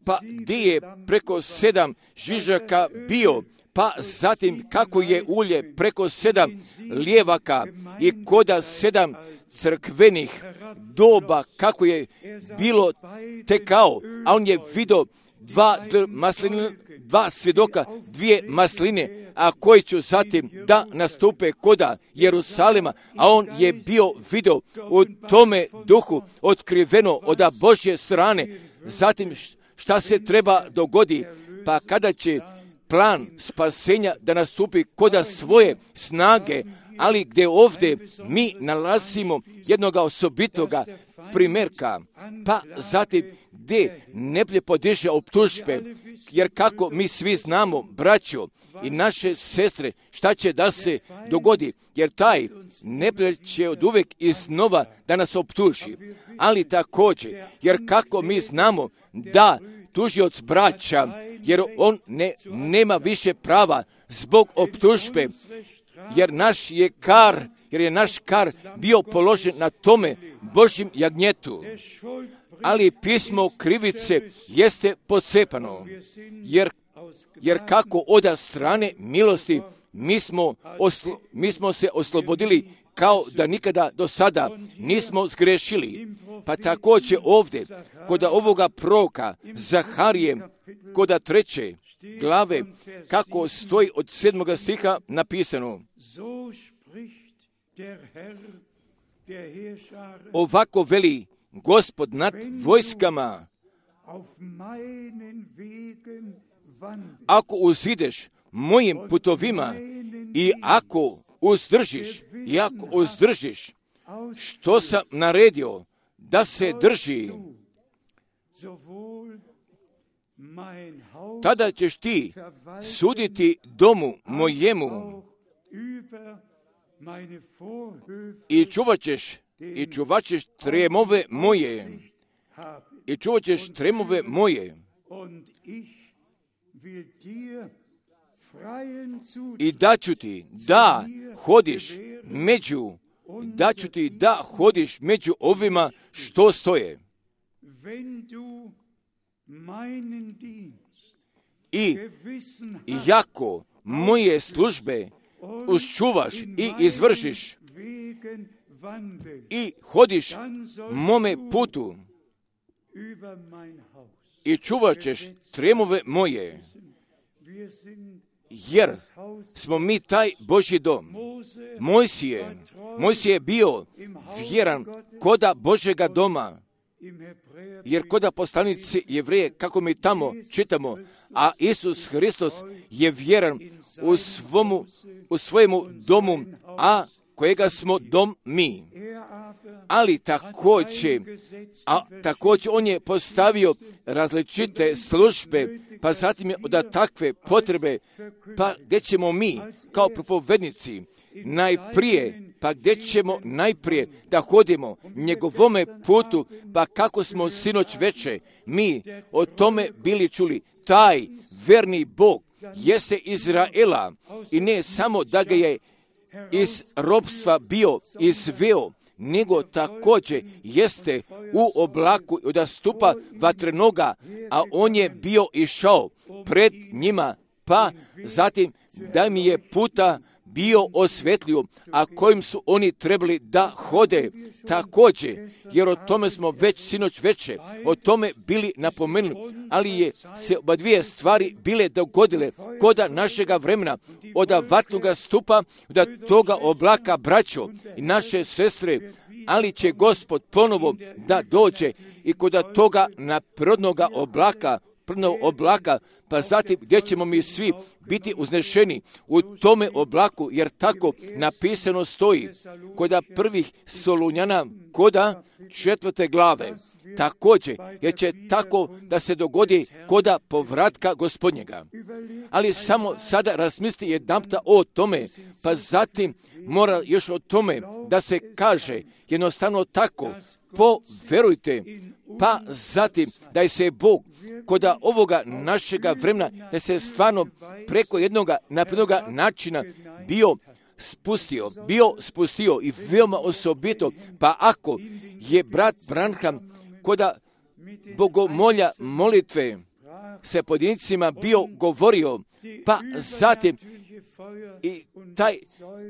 pa gdje je preko sedam žižaka bio, pa zatim kako je ulje preko sedam lijevaka i koda sedam crkvenih doba, kako je bilo tekao, a on je vidio dva masline, dva svjedoka, dvije masline, a koji će zatim da nastupe koda Jerusalima, a on je bio vidio u tome duhu otkriveno od Božje strane. Zatim šta se treba dogodi, pa kada će plan spasenja da nastupi koda svoje snage, ali gdje ovdje mi nalazimo jednoga osobitoga primjerka, pa zatim gdje ne podiže optužbe, jer kako mi svi znamo, braćo i naše sestre, šta će da se dogodi, jer taj neprijatelj će od uvijek iznova da nas optuži, ali također, jer kako mi znamo da tužioc braća, jer on ne, nema više prava zbog optužbe, jer naš je kar, jer je naš kar bio položen na tome Božjem jagnjetu. Ali pismo krivice jeste pocepano, jer, jer kako od strane milosti mi smo, oslo, mi smo se oslobodili kao da nikada do sada nismo zgrešili. Pa također ovdje, kod ovoga proroka Zaharije, kod treće glave, kako stoji od sedmoga stiha napisano: ovako veli Gospod nad vojskama, ako uzideš mojim putovima i ako uzdržiš, i ako uzdržiš što sam naredio da se drži, tada ćeš ti suditi domu mojemu i čuvat ćeš i čuvat ćeš tremove moje i čuvat ćeš tremove moje i daću ti da hodiš među daću ti da hodiš među ovima što stoje. I jako moje službe uščuvaš i izvršiš i hodiš mome putu i čuvat ćeš tremove moje, jer smo mi taj Božji dom. Mojsije, Mojsije je bio vjeran koda Božjega doma, jer koda poslanici Jevreje, kako mi tamo čitamo, a Isus Hristos je vjeran u, svomu, u svojemu domu, a kojega smo dom mi. Ali također, a također on je postavio različite službe, pa zatim je od takve potrebe, pa gdje ćemo mi kao propovednici najprije, pa gdje ćemo najprije da hodimo njegovome putu, pa kako smo sinoć veče mi o tome bili čuli, taj verni Bog jeste Izraela i ne samo da ga je iz ropstva bio izveo, nego također jeste u oblaku od stupa vatrenoga, a on je bio išao pred njima, pa zatim da mi je puta bio osvetlio, a kojim su oni trebali da hode također, jer o tome smo već sinoć veče, o tome bili napomenuli, ali je se oba dvije stvari bile dogodile koda našega vremena, od vatnoga stupa, od toga oblaka, braćo i naše sestre, ali će Gospod ponovo da dođe i kod toga naprednoga oblaka, prvnog oblaka, pa zatim gdje ćemo mi svi biti uznešeni u tome oblaku, jer tako napisano stoji koda prvih Solunjana, koda četvrte glave. Također, jer će tako da se dogodi koda povratka Gospodnjega. Ali samo sada razmisli jedanputa o tome, pa zatim mora još o tome da se kaže jednostavno tako, poverujte, pa zatim da je se Bog koda ovoga našega vremena, da se stvarno preko jednoga naprednoga načina bio spustio, bio spustio i veoma osobito, pa ako je brat Branham koda bogomolja molitve se pojedincima bio govorio, pa zatim i taj,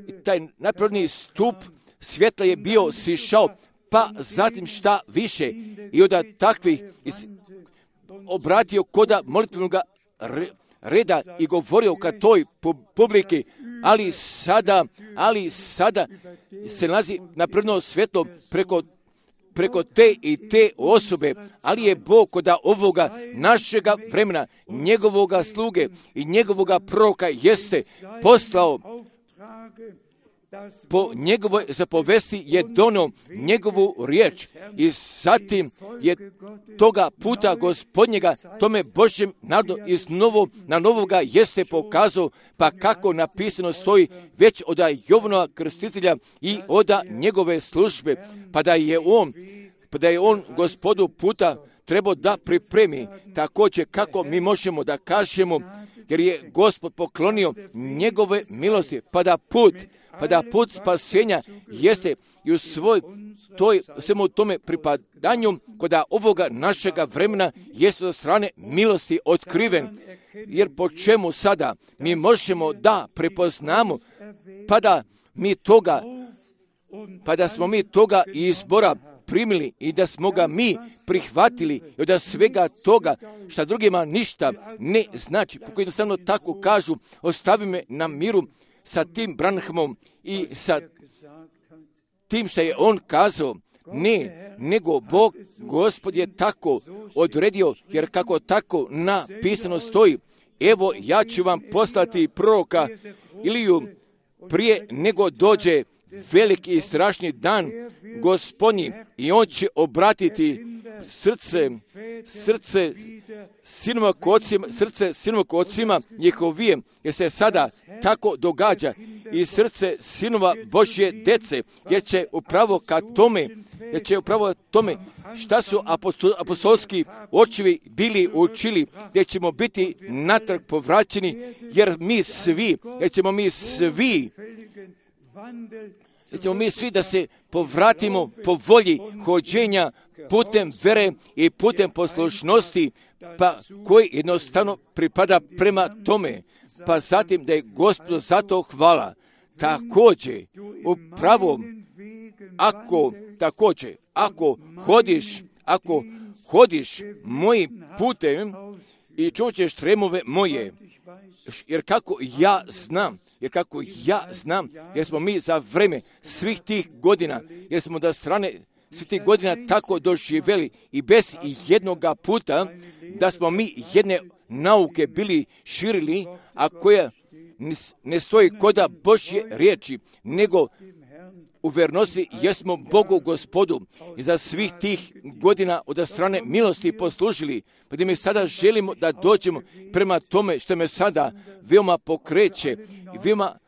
i taj napredni stup svjetla je bio sišao, pa zatim šta više i od takvih obratio koda molitvenog reda i govorio ka toj publiki, ali sada, ali sada se nalazi napredno svjetlo preko preko te i te osobe, ali je Bog koda ovoga našega vremena, njegovoga sluge i njegovoga proroka jeste poslao po njegovoj zapovesti je donio njegovu riječ i zatim je toga puta Gospodnjega tome Božjem narodu iz novo, na novoga jeste pokazao, pa kako napisano stoji već od Jovanova krstitelja i od njegove službe, pa da je on, pa da je on Gospodu puta trebao da pripremi također kako mi možemo da kažemo, jer je Gospod poklonio njegove milosti, pa da put pa da put spasenja jeste i u svoj toj, svemu tome pripadanju koda ovoga našega vremena jeste od strane milosti otkriven. Jer po čemu sada mi možemo da prepoznamo, pa da mi toga, pa da smo mi toga izbora primili i da smo ga mi prihvatili i da svega toga šta drugima ništa ne znači, po koji jednostavno tako kažu, ostavi me na miru sa tim Branhamom i sa tim što je on kazao, ne, nego Bog, Gospod je tako odredio, jer kako tako napisano stoji, evo ja ću vam poslati proroka Iliju prije nego dođe veliki i strašni dan Gospodnji i on će obratiti srce, srce sinova k ocima, srce sinova k ocima njihovije, jer se sada tako događa i srce sinova Božje dece, jer će upravo ka tome, jer će upravo tome šta su apostol, apostolski očevi bili učili, gdje ćemo biti natrag povraćeni, jer mi svi, jer ćemo mi svi da ćemo mi svi da se povratimo po volji hođenja putem vere i putem poslušnosti, pa koji jednostavno pripada prema tome, pa zatim da je Gospodu zato hvala. Također, upravo, ako, također, ako hodiš, ako hodiš mojim putem i čućeš tremove moje, jer kako ja znam, jer kako ja znam, jer smo mi za vreme svih tih godina, jer smo da strane svih tih godina tako doživjeli i bez jednoga puta da smo mi jedne nauke bili širili, a koja ne stoji koda Božje riječi, nego u vernosti jesmo Bogu Gospodu i za svih tih godina od strane milosti poslužili, pa da mi sada želimo da dođemo prema tome što me sada veoma pokreće i veoma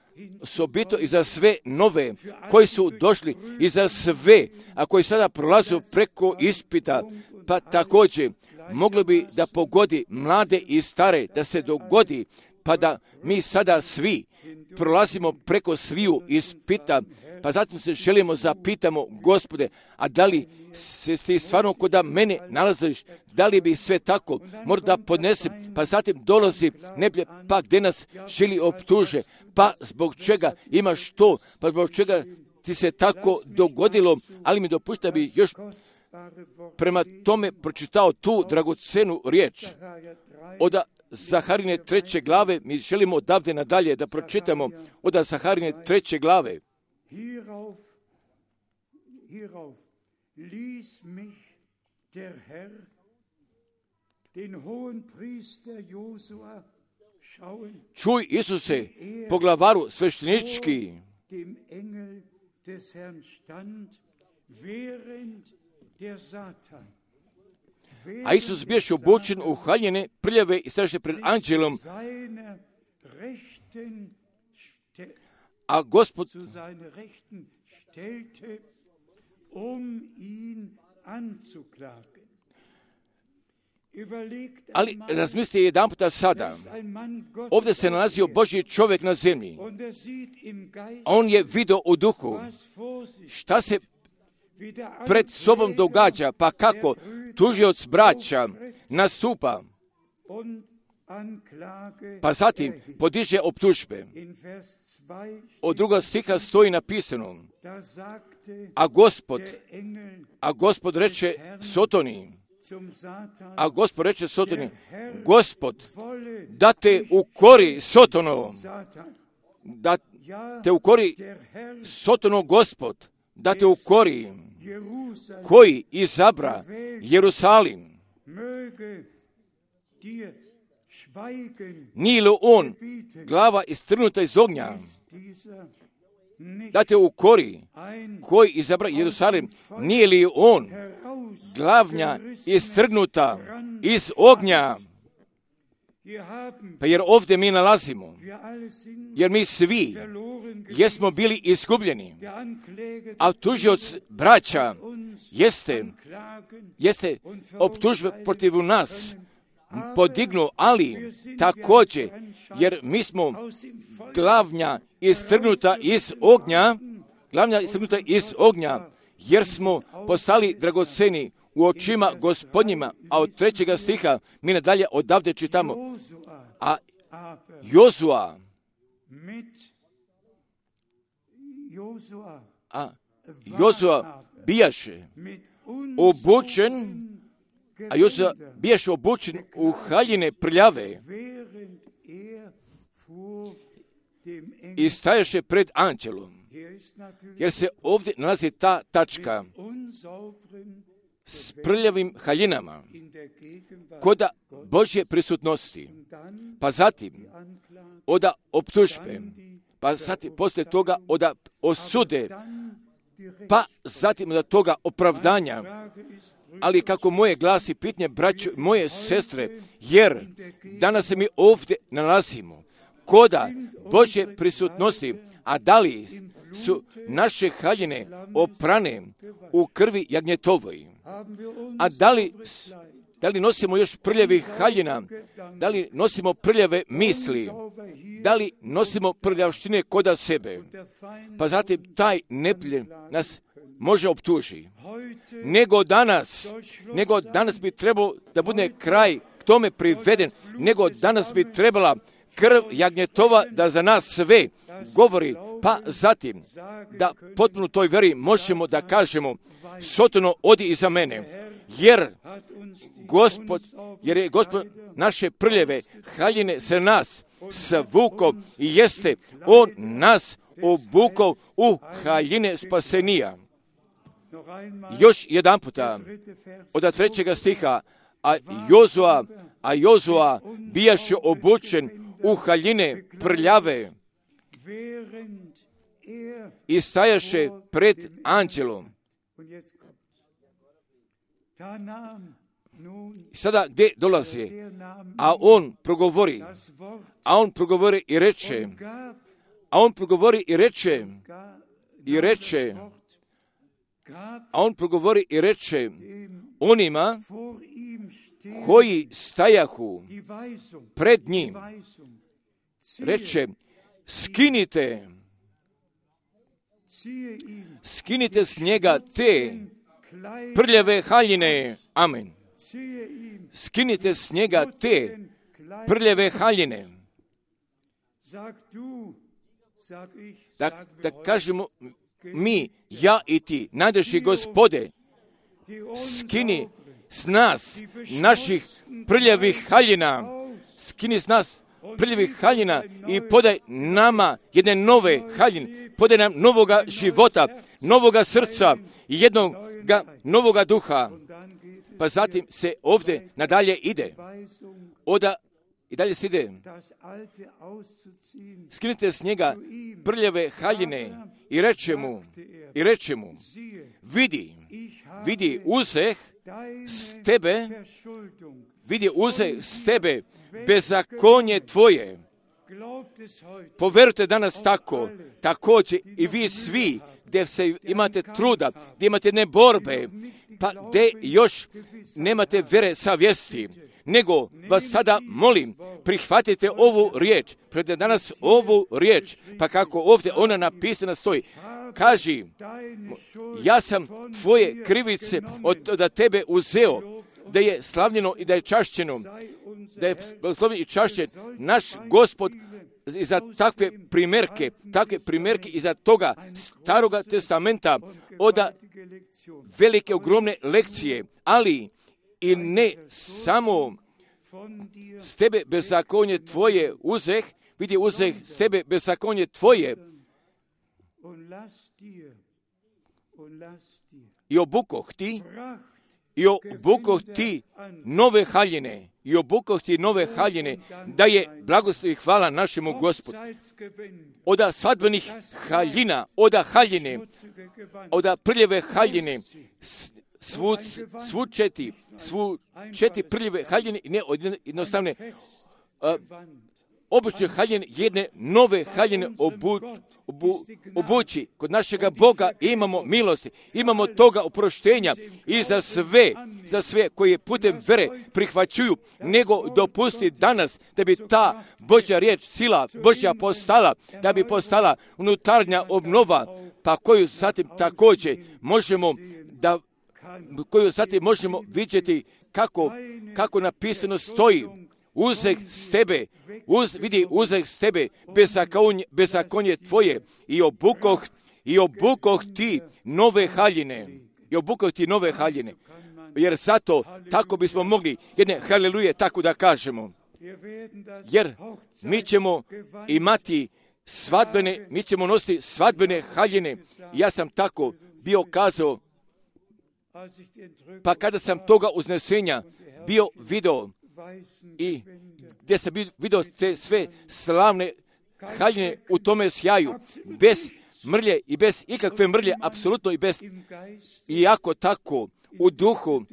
osobito i za sve nove koji su došli i za sve, a koji sada prolazu preko ispita, pa također moglo bi da pogodi mlade i stare, da se dogodi, pa da mi sada svi prolazimo preko sviju ispita, pa zatim se želimo zapitamo, Gospode, a da li se ti stvarno kod mene nalaziš, da li bi sve tako, možda podnesem, pa zatim dolazi neblje, pa gdje nas želi optuže, pa zbog čega imaš to, pa zbog čega ti se tako dogodilo, ali mi dopušta bi još prema tome pročitao tu dragocenu riječ. Od Zaharine treće glave, mi želimo odavde nadalje da pročitamo od Zaharine treće glave. Hierauf, hierauf ließ mich der Herr, den hohen Priester Josua, schauen, Čuj, Isuse, poglavaru sveštenički, dem Engel des Herrn stand, während der Satan, a Isus bješe obučen u haljine, prljave i staše pred anđelom, seiner Rechten ste- a Gospod, zu seiner Rechten stellte, um ihn anzuklagen. Überlegt ali einmal, razmisli jedan puta sada, dass ein Mann Gottes ovdje se nalazio Božji čovjek na zemlji, und er sieht im Geist, a on je vidio u duhu was vor sich šta se wie der pred sobom Ankläger događa, pa kako tužioc braća nastupa, und Anklage pa zatim erhebt. podiže optužbe. In Vers zwei Od druga stiha stoji napisano, da sagte a Gospod, der Engel a Gospod reče Sotoni, zum Satan, a Gospod reče Sotoni, Gospod, wolle da te ukori Sotono, Satan, da ja, te ukori der Herr Sotono Gospod, da te ukori, Jerusalem koji izabra Jerusalim. möge dir schweigen, Nije li on glava istrgnuta iz ognja, dieser nicht da te ukori, ein koji izabra Jerusalim, nije li on glavnja herausgerissen. istrgnuta iz ognja? Wir haben, Pa jer ovdje mi nalazimo, wir alle sind jer mi svi verloren gewesen. jesmo bili izgubljeni, Der Ankläger a tužioc braća uns jeste, klagen jeste optužbe protiv nas podignu, ali također, jer mi smo aus dem Feuer glavnja istrgnuta iz ognja, glavnja istrgnuta iz ognja, jer smo postali dragoceni u očima Gospodnjima, a od trećega stiha mi nadalje odavde čitamo, Josua, a aber Jozua, mit Josua a Jozua bijaše mit obučen, a Jozua bijaše obučen u haljine prljave während er vor dem Engel, i stajaše pred anđelom, hier ist natürlich jer se ovdje nalazi ta tačka unsauberen s prljavim haljinama in der Gegenwart koda Božje prisutnosti, dann pa zatim Anklage, oda optužbe, pa zatim poslije toga oda osude, dann die pa zatim od toga opravdanja. Frage ist, Ali kako moje glasi pitanje, braćo, moje sestre, jer danas se mi ovdje nalazimo koda Božje prisutnosti, a da li su naše haljine oprane u krvi jagnjetovoj, haben wir uns a da li, da li nosimo još prljavih haljina, da li nosimo prljave misli, sauber hier da li nosimo prljavštine koda sebe, der Feind pa zatim taj nepljen nas može optuži. heute Nego danas, nego danas bi trebalo da bude kraj k tome priveden, nego danas bi trebala krv jagnjetova da za nas sve govori, pa zatim da potpuno toj veri možemo da kažemo Sotono, odi iza mene, jer hat uns die Gospod, jer je Gospod naše prljeve haljine se nas svukao i jeste on nas obukao u haljine spasenija. noch einmal Još jedan puta, dritte Vers, od trećega stiha, a Jozua, a Jozua bijaše obučen u haljine prljave während er i stajaše pred anđelom. und jetzt kommt da nahm nun I sada gdje dolazi? der Name A on progovori, das Wort a on progovori i reče, gab a on progovori i reče, ga, i reče, Wort gab a on progovori i reče dem onima vor ihm stehen koji stajahu die Weisung, pred die njim, Weisung, reče, skinite, skinite s njega te prljave haljine. Amen. Skinite s njega te prljave haljine. Da, da kažemo mi, ja i ti, najdraži Gospode, skini s nas, naših prljavih haljina, skini s nas prljavih haljina i podaj nama jedne nove haljine, podaj nam novoga života, novoga srca i jednoga novoga duha. Pa zatim se ovdje nadalje ide. Oda i dalje se ide. Skinite s njega prljave haljine i reče mu, i reče mu, vidi, vidi uzeh s tebe, vidi uzeh s tebe bezakonje tvoje. Poverujte danas tako, također i vi svi, gdje se imate truda, gdje imate ne borbe, pa gdje još nemate vere savjesti, nego vas sada molim, prihvatite ovu riječ, predajte danas ovu riječ, pa kako ovdje ona napisana stoji, kaži, ja sam tvoje krivice od, od tebe uzeo, da je slavljeno i da je čašćeno, da je blagoslovljen i čašćen naš Gospod i za takve primjerke, takve primjerke iza toga Staroga testamenta, oda velike, ogromne lekcije, ali i ne samo s tebe bezakonje tvoje uzeh, vidi uzeh s tebe bezakonje tvoje i obukoh ti, i obukoh ti nove haljine, i obukoh ti nove haljine, da je blagoslov i hvala našemu Gospodu. Oda svadbenih haljina, oda haljine, oda prljave haljine, svu, svu četi, svu četi prljave haljine, i ne jednostavne, uh, obične haljine, jedne nove haljine obu, obu, obući. Kod našega Boga imamo milosti, imamo toga oproštenja i za sve, za sve koji putem vere prihvaćuju, nego dopusti danas da bi ta Božja riječ, sila Božja postala, da bi postala unutarnja obnova, pa koju zatim također možemo da, koju zatim možemo vidjeti kako, kako napisano stoji. Uzeh s tebe, uz, vidi uzeh s tebe, bezakonje, bezakonje tvoje, i obukoh, i obukoh ti nove haljine, i obukoh ti nove haljine, jer zato tako bismo mogli jedne haleluje tako da kažemo, jer mi ćemo imati svadbene, mi ćemo nositi svadbene haljine. Ja sam tako bio kazao, pa kada sam toga uznesenja bio video, i gdje sam vidio te sve slavne haljine u tome sjaju, bez mrlje i bez ikakve mrlje, apsolutno i bez, iako tako u duhu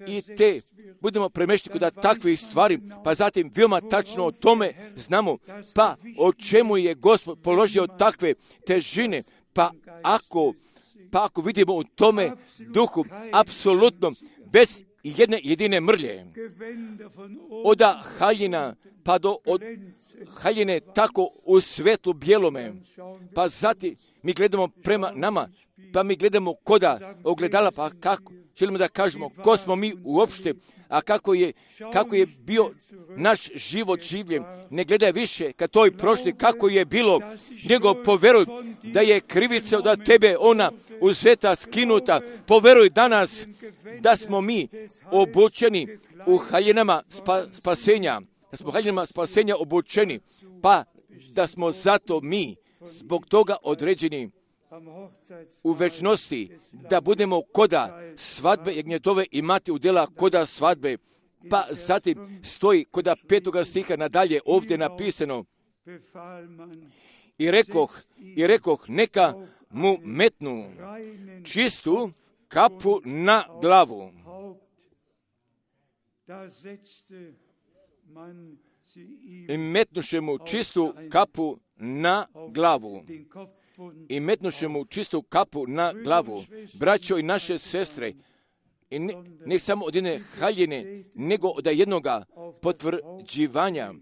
i te budemo premješteni kod takvih stvari, pa zatim veoma tačno o tome znamo, pa o čemu je Gospod položio takve težine, pa ako, pa ako vidimo u tome duhu, apsolutno bez i jedne jedine mrlje, oda haljina pa do od haljine tako u svetlu bijelome, pa zatim mi gledamo prema nama, pa mi gledamo koda ogledala, pa kako želimo da kažemo ko smo mi uopšte, a kako je, kako je bio naš život življen. Ne gledaj više ka toj prošli kako je bilo, nego poveruj da je krivica od tebe ona uzeta, skinuta. Poveruj danas da smo mi obučeni u haljinama spa, spasenja, da smo u haljinama spasenja obučeni, pa da smo zato mi zbog toga određeni u večnosti, da budemo koda svadbe jagnjetove imati udjela koda svadbe. Pa zatim stoji koda petoga stiha nadalje ovdje napisano, i rekoh, i rekoh neka mu metnu čistu kapu na glavu. I metnuše mu čistu kapu na glavu. I metnuše mu čistu kapu na glavu. Braćo i naše sestre, i ne, ne samo od jedne haljine, nego od jednoga potvrđivanja,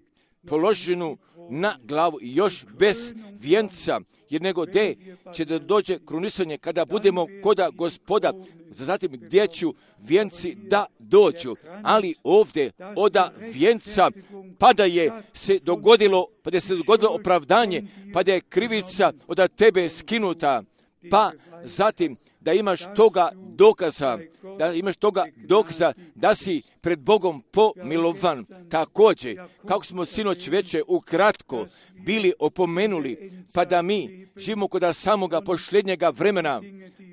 položenu na glavu i još bez vijenca, jer nego gdje će da dođe krunisanje kada budemo koda Gospoda, zatim gdje će vijenci da dođu, ali ovdje oda vijenca pa da je se dogodilo, pa da je se dogodilo opravdanje, pa da je krivica od tebe skinuta, pa zatim da imaš toga dokaza, da imaš toga dokaza da si pred Bogom pomilovan. Također, kako smo sinoć veče ukratko bili opomenuli, pa da mi živimo kod samoga posljednjega vremena,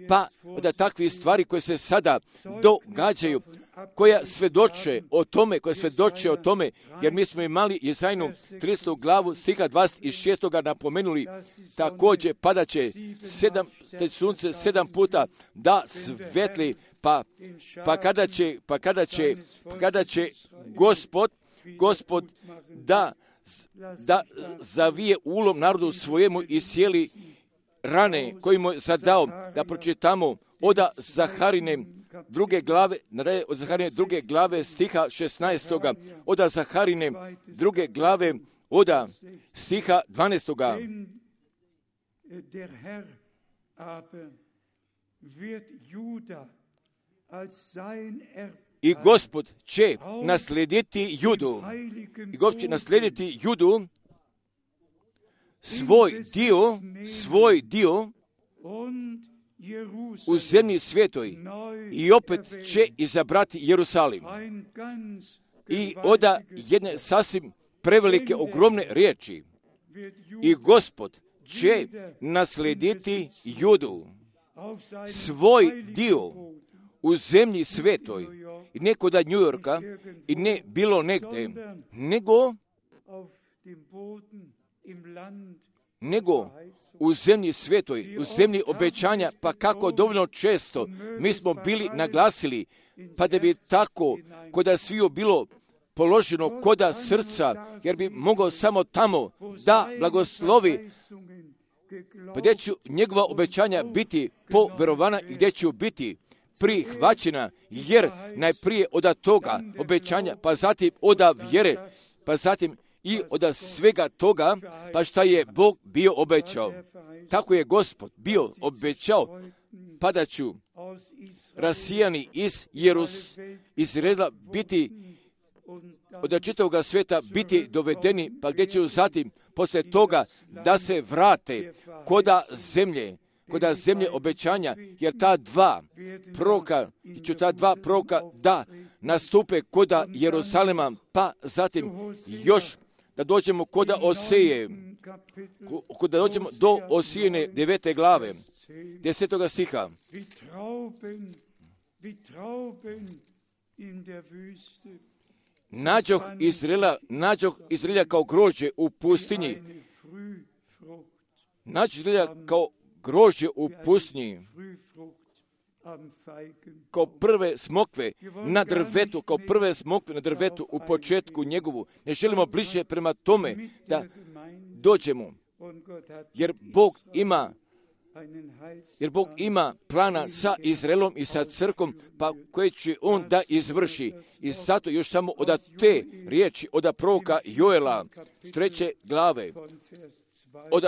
pa da takve stvari koje se sada događaju, koja svedoče o tome, koja svedoče o tome, jer mi smo imali Jezajnu tridesetu glavu stiha dvadeset šest napomenuli, također padat će sedam, sunce sedam puta da svetli, pa, pa kada će, pa kada će, pa kada će Gospod, Gospod da, da zavije ulom narodu svojemu i sjeli rane koji mu je zadao, da pročitamo oda Zaharine druge glave, nadalje od Zaharine druge glave stiha šesnaestoga, oda Zaharine druge glave, oda stiha dvanaestoga. I Gospod će naslijediti Judu, i Gospod će naslijediti Judu, svoj dio, svoj dio u zemlji svetoj, i opet će izabrati Jerusalim. I oda jedne sasvim prevelike, ogromne riječi. I Gospod će naslijediti Judu, svoj dio u zemlji svetoj, i ne kod New Yorka, i ne bilo negdje, nego nego u zemlji svetoj, u zemlji obećanja, pa kako dovoljno često mi smo bili naglasili, pa da bi tako koda sviju bilo položeno koda srca, jer bi mogao samo tamo da blagoslovi, pa gdje će njegova obećanja biti poverovana i gdje će biti prihvaćena, jer najprije od toga obećanja, pa zatim od vjere, pa zatim i od svega toga, pa šta je Bog bio obećao. Tako je Gospod bio obećao, pa da ću rasijani iz Jerus, iz Izraela biti, od čitavog sveta biti dovedeni, pa gdje će zatim poslije toga da se vrate koda zemlje, koda zemlje obećanja, jer ta dva proroka, ću ta dva proroka da nastupe koda Jerusalema, pa zatim još da dođemo koda Oseje, da dođemo do Osijene devete glave, desetoga stiha. Nađoh Izraela, nađoh Izraela kao grožđe u pustinji. Nađoh Izraela kao grožđe u pustinji, kao prve smokve na drvetu, kao prve smokve na drvetu u početku njegovu. Ne želimo bliže prema tome da dođemo, jer Bog ima jer Bog ima plana sa Izraelom i sa crkom, pa koje će on da izvrši. I zato još samo od te riječi, od proroka Joela, treće glave, od,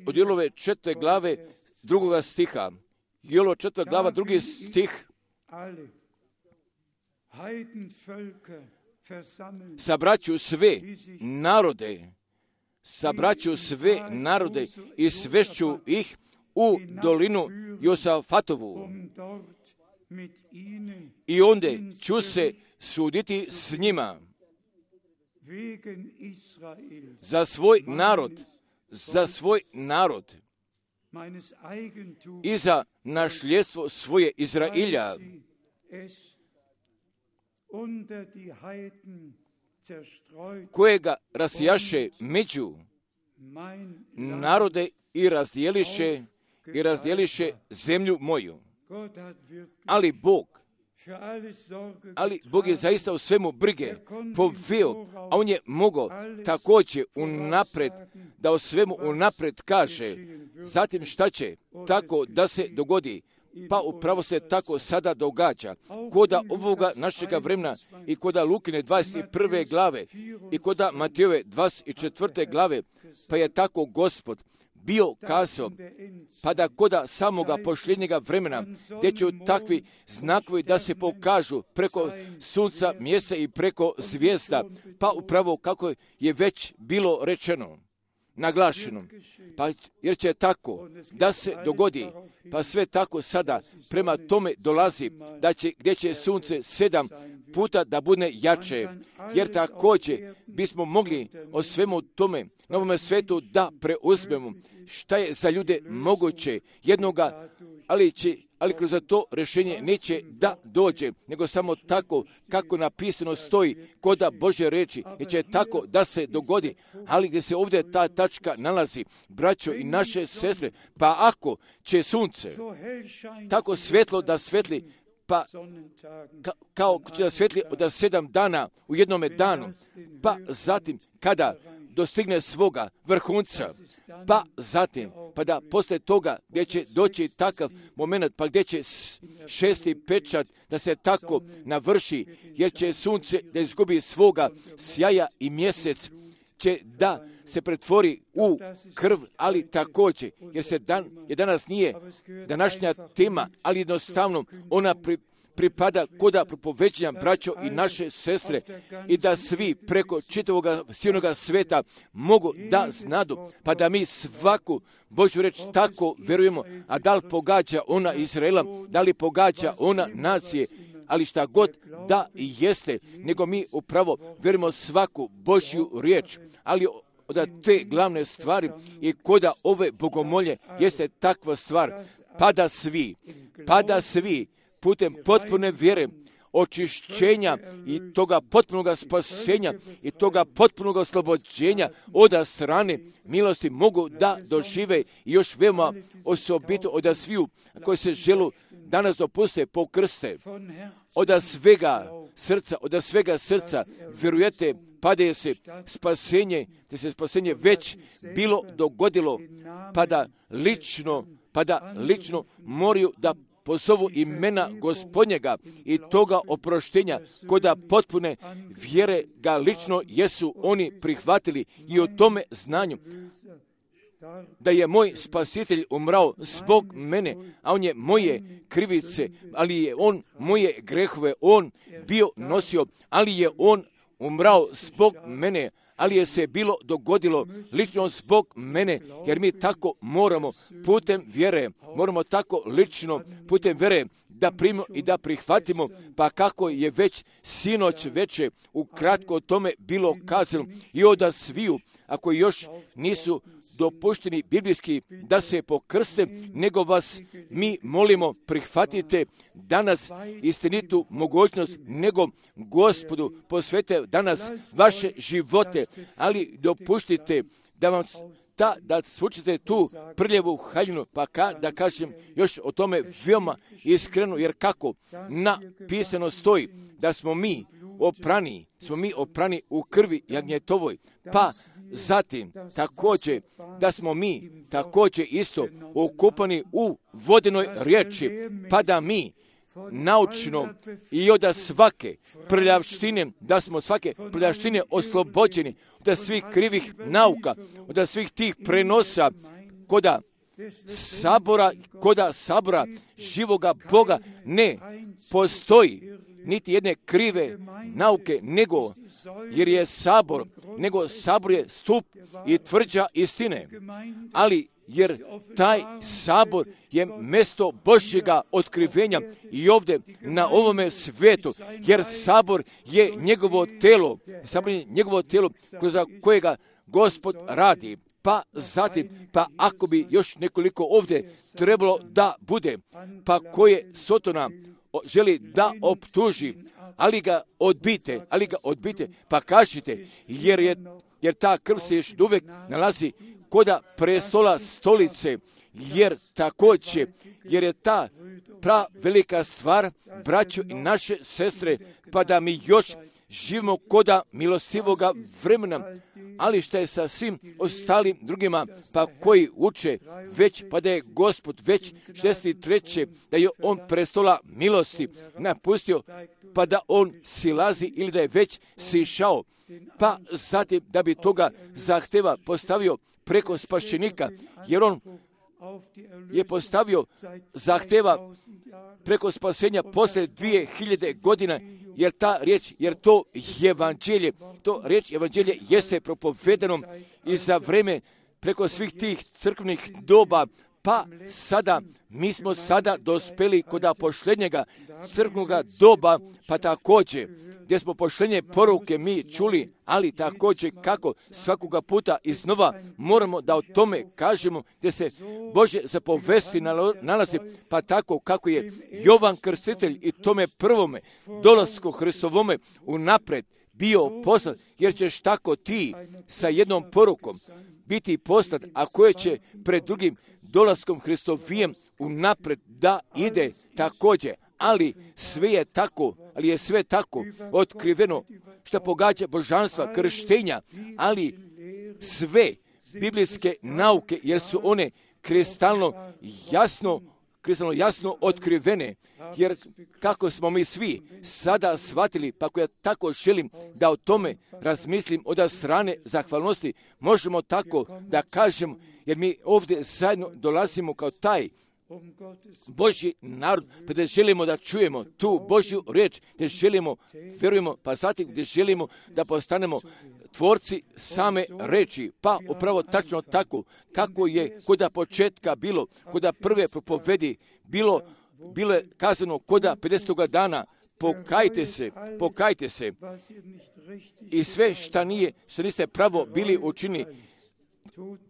od Joelove četvrte glave, drugoga stiha, Joelova četvrta glava, drugi stih, sabraću sve narode, sabraću sve narode i svešću ih u dolinu Josafatovu. I onda ću se suditi s njima za svoj narod, za svoj narod i za našljedstvo svoje Izrailja, kojega rasjaše među narode i razdjeliše i razdjeliše zemlju moju. Ali Bog, ali Bog je zaista u svemu brige poveo, a on je mogao također unapred, da o svemu unapred kaže, zatim šta će tako da se dogodi, Pa upravo se tako sada događa. Koda ovoga našega vremena i koda Lukine dvadeset prve glave i koda Matejove dvadeset četvrte glave, pa je tako Gospod bio kazao, pa da koda samoga posljednjega vremena, gdje će takvi znakovi da se pokažu preko sunca, mjeseca i preko zvijezda, pa upravo kako je već bilo rečeno, naglašeno, pa jer će tako da se dogodi, pa sve tako sada prema tome dolazi, da će, gdje će sunce sedam puta da bude jače, jer također bismo mogli o svemu tome na ovome svetu da preuzmemo šta je za ljude moguće jednoga, ali će ali kroz to rješenje neće da dođe, nego samo tako kako napisano stoji koda Božje reči, jer će tako da se dogodi, ali gdje se ovdje ta tačka nalazi, braćo i naše sestre, pa ako će sunce tako svetlo da svetli, pa ka, kao će da svetli od sedam dana u jednome danu, pa zatim kada dostigne svoga vrhunca, pa zatim, pa da posle toga gdje će doći takav moment, pa gdje će šesti pečat da se tako navrši, jer će sunce da izgubi svoga sjaja i mjesec će da se pretvori u krv, ali također, jer se dan, jer danas nije današnja tema, ali jednostavno ona pri, pripada koda propoveđenja braćo i naše sestre i da svi preko čitavog silnoga sveta mogu da znadu, pa da mi svaku Božju reč tako verujemo, a da li pogađa ona Izraela, da li pogađa ona nacije, ali šta god da jeste, nego mi upravo verujemo svaku Božju riječ, ali od te glavne stvari i koda ove bogomolje jeste takva stvar, pa da svi, pa da svi putem potpune vjere, očišćenja i toga potpunog spasenja i toga potpunog oslobođenja od strane milosti mogu da dožive i još veoma osobito od sviju koji se želu danas dopuste pokrste. Od svega srca, od svega srca vjerujete pa da je se spasenje, da se spasenje već bilo dogodilo, pa da lično, pa da lično moraju da pozovu imena Gospodnjega i toga oproštenja, koda potpune vjere ga lično jesu oni prihvatili i o tome znanju da je moj spasitelj umrao zbog mene, a on je moje krivice, ali je on moje grehove, on bio nosio, ali je on umrao zbog mene, ali je se bilo dogodilo lično zbog mene, jer mi tako moramo putem vjere, moramo tako lično putem vjere da primimo i da prihvatimo, pa kako je već sinoć veče ukratko o tome bilo kazano i od sviju, ako još nisu dopušteni biblijski da se pokrste, nego vas mi molimo prihvatite danas istinitu mogućnost, nego Gospodu posvete danas vaše živote, ali dopuštite da vam ta, da svučete tu prljavu haljinu, pa ka, da kažem još o tome veoma iskreno, jer kako napisano stoji da smo mi oprani, smo mi oprani u krvi jagnjetovoj, pa zatim također da smo mi također isto okupani u vodenoj riječi, pa da mi naučno i od svake prljavštine, da smo svake prljavštine oslobođeni, od svih krivih nauka, od svih tih prenosa, koda sabora, koda sabora živoga Boga ne postoji niti jedne krive nauke, nego jer je sabor, nego sabor je stup i tvrđa istine, ali jer taj sabor je mjesto Božjega otkrivenja i ovdje na ovome svijetu, jer sabor je njegovo telo, sabor je njegovo telo kroz kojega Gospod radi. Pa zatim, pa ako bi još nekoliko ovdje trebalo da bude, pa koje Sotona želi da optuži, ali ga odbite, ali ga odbite, pa kažite, jer je, jer ta krv se još uvijek nalazi koda prestola stolice, jer također, jer je ta pra velika stvar, braćo i naše sestre, pa da mi još živimo koda milostivoga vremena, ali šta je sa svim ostalim drugima, pa koji uče već, pa da je Gospod već šezdeset treće da je on prestola milosti napustio, pa da on silazi ili da je već sišao, pa zatim da bi toga zahteva postavio preko spašenika, jer on je postavio zahteva preko spasenja posle dvije hiljade godina, jer ta riječ, jer to evanđelje, to riječ evanđelje jeste propovedeno i za vreme preko svih tih crkvenih doba, pa sada, mi smo sada dospeli kod posljednjega crkvenoga doba, pa također, gdje smo posljednje poruke mi čuli, ali također kako svakoga puta iznova moramo da o tome kažemo, gdje se Božje zapovesti nalazi, pa tako kako je Jovan Krstitelj i tome prvome dolasku Hristovome unapred bio poslat, jer ćeš tako ti sa jednom porukom biti poslat, a koje će pred drugim dolaskom Hristovijem unapred da ide također. Ali sve je tako, ali je sve tako otkriveno što pogađa božanstva krštenja, ali sve biblijske nauke, jer su one kristalno jasno, kristalno jasno otkrivene, jer kako smo mi svi sada shvatili, pa ako ja tako želim da o tome razmislim od strane zahvalnosti, možemo tako da kažem, jer mi ovdje zajedno dolazimo kao taj Božji narod, pa da želimo da čujemo tu Božju riječ, da želimo, vjerujemo, pa zatim gdje želimo da postanemo tvorci same reči, pa upravo tačno tako, kako je koda početka bilo, koda prve propovedi bilo, bilo je kazano koda pedesetoga dana, pokajte se, pokajte se i sve šta nije, što niste pravo bili učinili,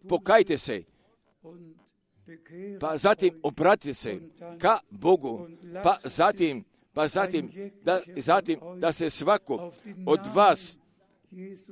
pokajte se, pa zatim obratite se ka Bogu, pa zatim, pa zatim, da, zatim da se svako od vas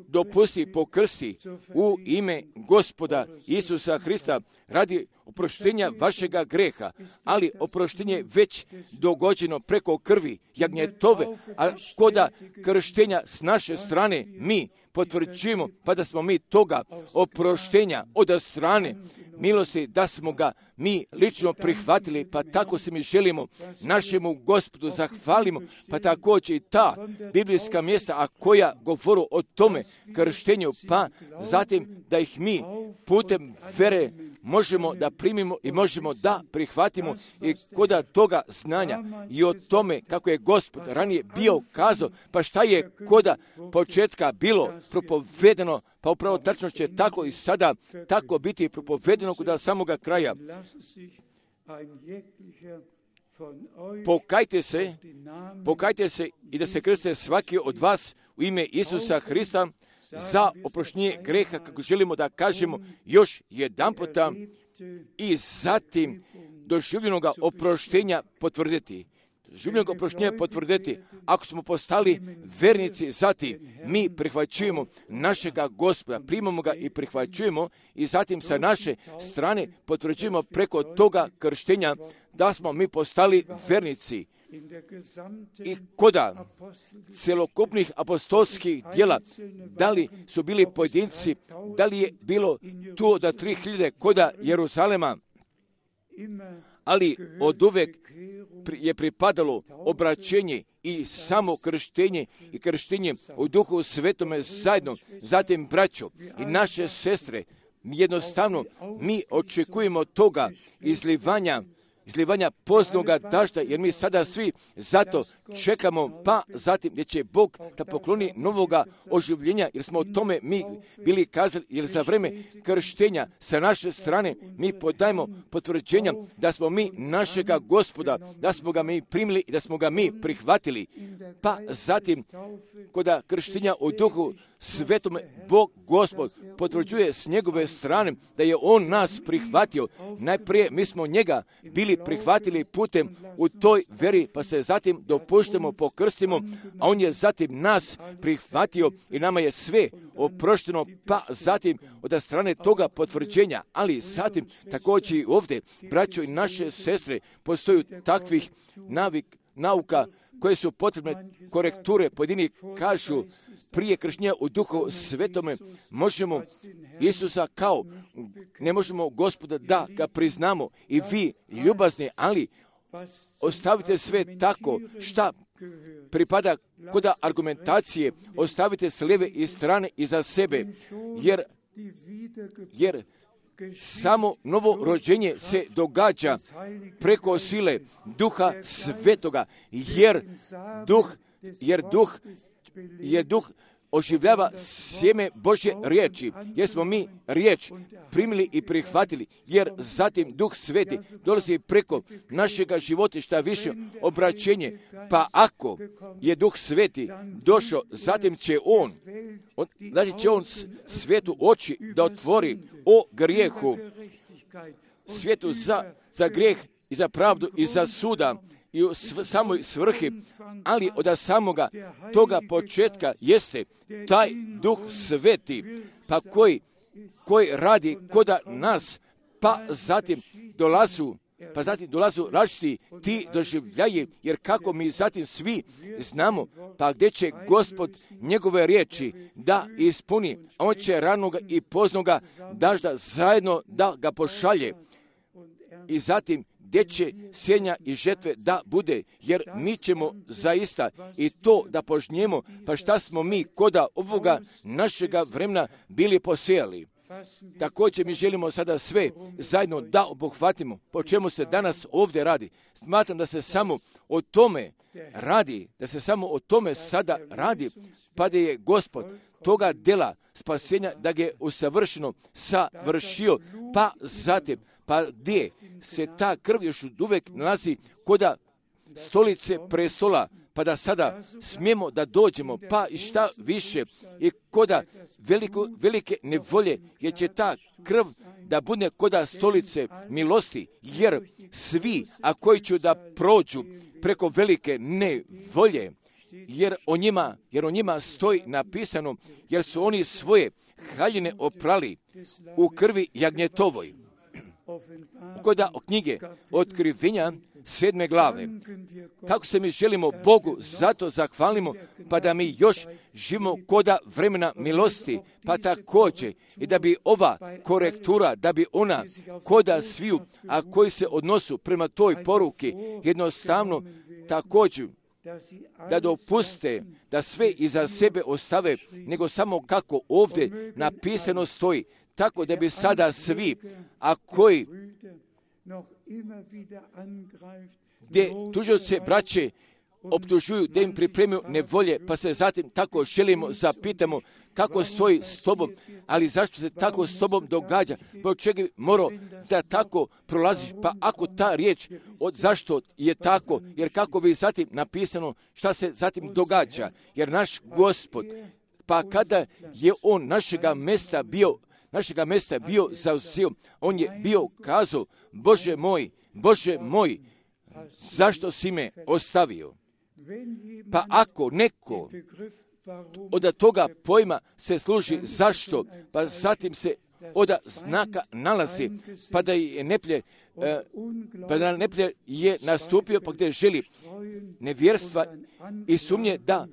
dopusti pokrsti u ime Gospoda Isusa Hrista radi oproštenja vašega greha, ali oproštenje već dogođeno preko krvi jagnjetove, a koda krštenja s naše strane mi potvrđujemo, pa da smo mi toga oproštenja od strane milosti, da smo ga mi lično prihvatili, pa tako se mi želimo našemu Gospodu zahvalimo, pa također i ta biblijska mjesta, a koja govoru o tome krštenju, pa zatim da ih mi putem vere možemo da primimo i možemo da prihvatimo i koda toga znanja i o tome kako je Gospod ranije bio kazao, pa šta je koda početka bilo propovedeno, pa upravo tačno će tako i sada tako biti propovedeno kod samoga kraja. Pokajte se, pokajte se i da se krste svaki od vas u ime Isusa Hrista za oproštenje greha, kako želimo da kažemo još jedan puta, i zatim doživljenoga oproštenja potvrditi. Doživljenog oproštenja potvrditi. Ako smo postali vernici, zatim mi prihvaćujemo našega Gospoda, primamo ga i prihvaćujemo i zatim sa naše strane potvrđujemo preko toga krštenja da smo mi postali vernici. I koda celokupnih apostolskih djela, da li su bili pojedinci, da li je bilo tu da tri hiljade koda Jeruzalema, ali od uvek je pripadalo obraćenje i samo krštenje i krštenje u Duhu Svetome zajedno. Zatim, braćo i naše sestre, jednostavno mi očekujemo toga izlivanja izlivanja poznoga dažda, jer mi sada svi zato čekamo, pa zatim gdje će Bog da pokloni novoga oživljenja, jer smo o tome mi bili kazali, jer za vreme krštenja sa naše strane mi podajemo potvrđenja da smo mi našega Gospoda, da smo ga mi primili i da smo ga mi prihvatili. Pa zatim, koda krštenja u Duhu Svetome, Bog Gospod potvrđuje s njegove strane da je On nas prihvatio. Najprije mi smo njega bili prihvatili putem u toj veri, pa se zatim dopuštamo, pokrstimo, a On je zatim nas prihvatio i nama je sve oprošteno, pa zatim od strane toga potvrđenja, ali zatim također i ovdje, braćo i naše sestre, postoju takvih navik, nauka koje su potrebne korekture. Pojedini kažu prije krštenja u Duhu Svetome možemo Isusa kao, ne možemo Gospoda da ga priznamo i vi ljubazni, ali ostavite sve tako šta pripada kod argumentacije, ostavite s lijeve i strane iza sebe, jer, jer samo novo rođenje se događa preko sile Duha Svetoga, jer duh, jer duh, jer duh oživljava sjeme Božje riječi, jer smo mi riječ primili i prihvatili, jer zatim Duh Sveti dolazi preko našega života šta više obraćenje, pa ako je Duh Sveti došao, zatim će On, on zatim će On svijetu oči da otvori o grijehu, svijetu za, za grijeh i za pravdu i za suda, i u sv- samoj svrhi, ali od samoga toga početka jeste taj Duh Sveti, pa koji, koji radi koda nas, pa zatim dolazu, pa zatim dolazu različiti ti doživljaji, jer kako mi zatim svi znamo, pa gdje će Gospod njegove riječi da ispuni, on će ranoga i poznoga dažda zajedno da ga pošalje. I zatim gdje će sjenja i žetve da bude, jer mi ćemo zaista i to da požnjemo, pa šta smo mi koda ovoga našega vremena bili posijali. Također mi želimo sada sve zajedno da obuhvatimo, po čemu se danas ovdje radi. Smatram da se samo o tome radi, da se samo o tome sada radi, pa da je Gospod toga dela spasenja, da ga je usavršeno savršio, pa zatim, pa gdje se ta krv još uvijek nalazi koda stolice prestola, pa da sada smijemo da dođemo, pa i šta više, i koda veliko, velike nevolje, jer će ta krv da bude koda stolice milosti, jer svi, a koji će da prođu preko velike nevolje, jer o njima, jer o njima stoji napisano, jer su oni svoje haljine oprali u krvi jagnjetovoj. Koda o knjige Otkrivenja sedme glave. Kako se mi želimo Bogu, zato zahvalimo, pa da mi još živimo koda vremena milosti, pa također i da bi ova korektura, da bi ona koda sviju, a koji se odnosu prema toj poruki, jednostavno također da dopuste da sve iza sebe ostave, nego samo kako ovdje napisano stoji, tako da bi sada svi, a koji gdje tužioce braće optužuju da im pripremaju nevolje, pa se zatim tako želimo, zapitamo kako stoji s tobom, ali zašto se tako s tobom događa, po čega morao da tako prolaziš, pa ako ta riječ, od zašto je tako, jer kako bi zatim napisano šta se zatim događa, jer naš Gospod, pa kada je on našega mesta bio, našega mesta bio zauzeo, on je bio kazao, Bože moj, Bože moj, zašto si me ostavio? Pa ako neko od toga pojma se služi zašto, pa zatim se od znaka nalazi, pa da je neplje, pa da neplje je nastupio, pa gdje želi nevjerstva i sumnje da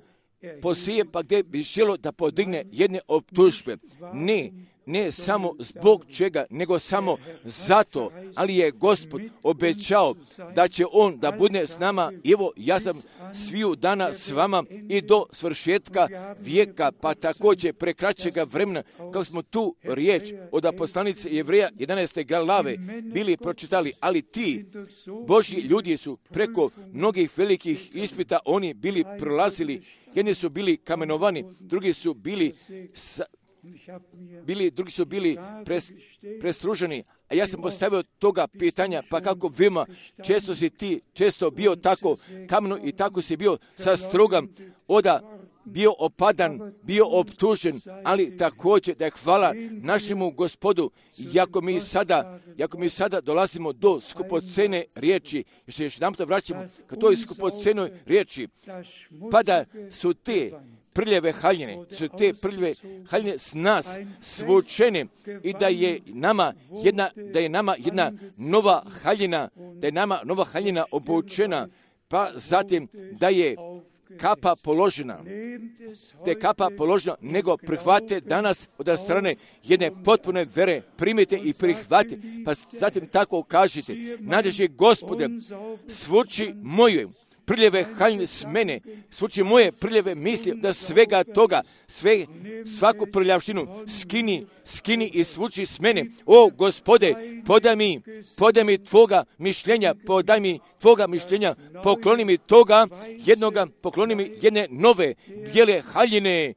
posije, pa gdje bi želo da podigne jedne optužbe. Ne, ne samo zbog čega, nego samo zato, ali je Gospod obećao da će On da bude s nama. Evo, ja sam sviju dana s vama i do svršetka vijeka, pa također prekraćega vremena, kako smo tu riječ od poslanice Jevreja jedanaeste glave bili pročitali, ali ti Božji ljudi su preko mnogih velikih ispita oni bili prolazili, jedni su bili kamenovani, drugi su bili sa, Bili, drugi su bili pres, prestruženi, a ja sam postavio toga pitanja, pa kako vima, često si ti, često bio tako kameno i tako si bio sa strugom, oda bio opadan, bio optužen, ali također da je hvala našemu Gospodu, jako mi sada, jako mi sada dolazimo do skupocene riječi, jer se još nam to vraćamo ka toj skupocenoj riječi, pa da su te prljave haljine, su te prljave haljine s nas svučene i da je nama jedna, da je nama jedna nova haljina, da je nama nova haljina obučena, pa zatim da je kapa položena, te kapa položena, nego prihvate danas od strane jedne potpune vere, primite i prihvate, pa zatim tako kažete, nađeši Gospode, svuči moju prljave haljine s mene, svuči moje prljave misli, da svega toga, sve, svaku prljavštinu skini, skini i svuči s mene. O Gospode, podaj mi, podaj mi tvoga mišljenja, podaj mi tvoga mišljenja, pokloni mi toga jednoga, pokloni mi jedne nove bijele haljine,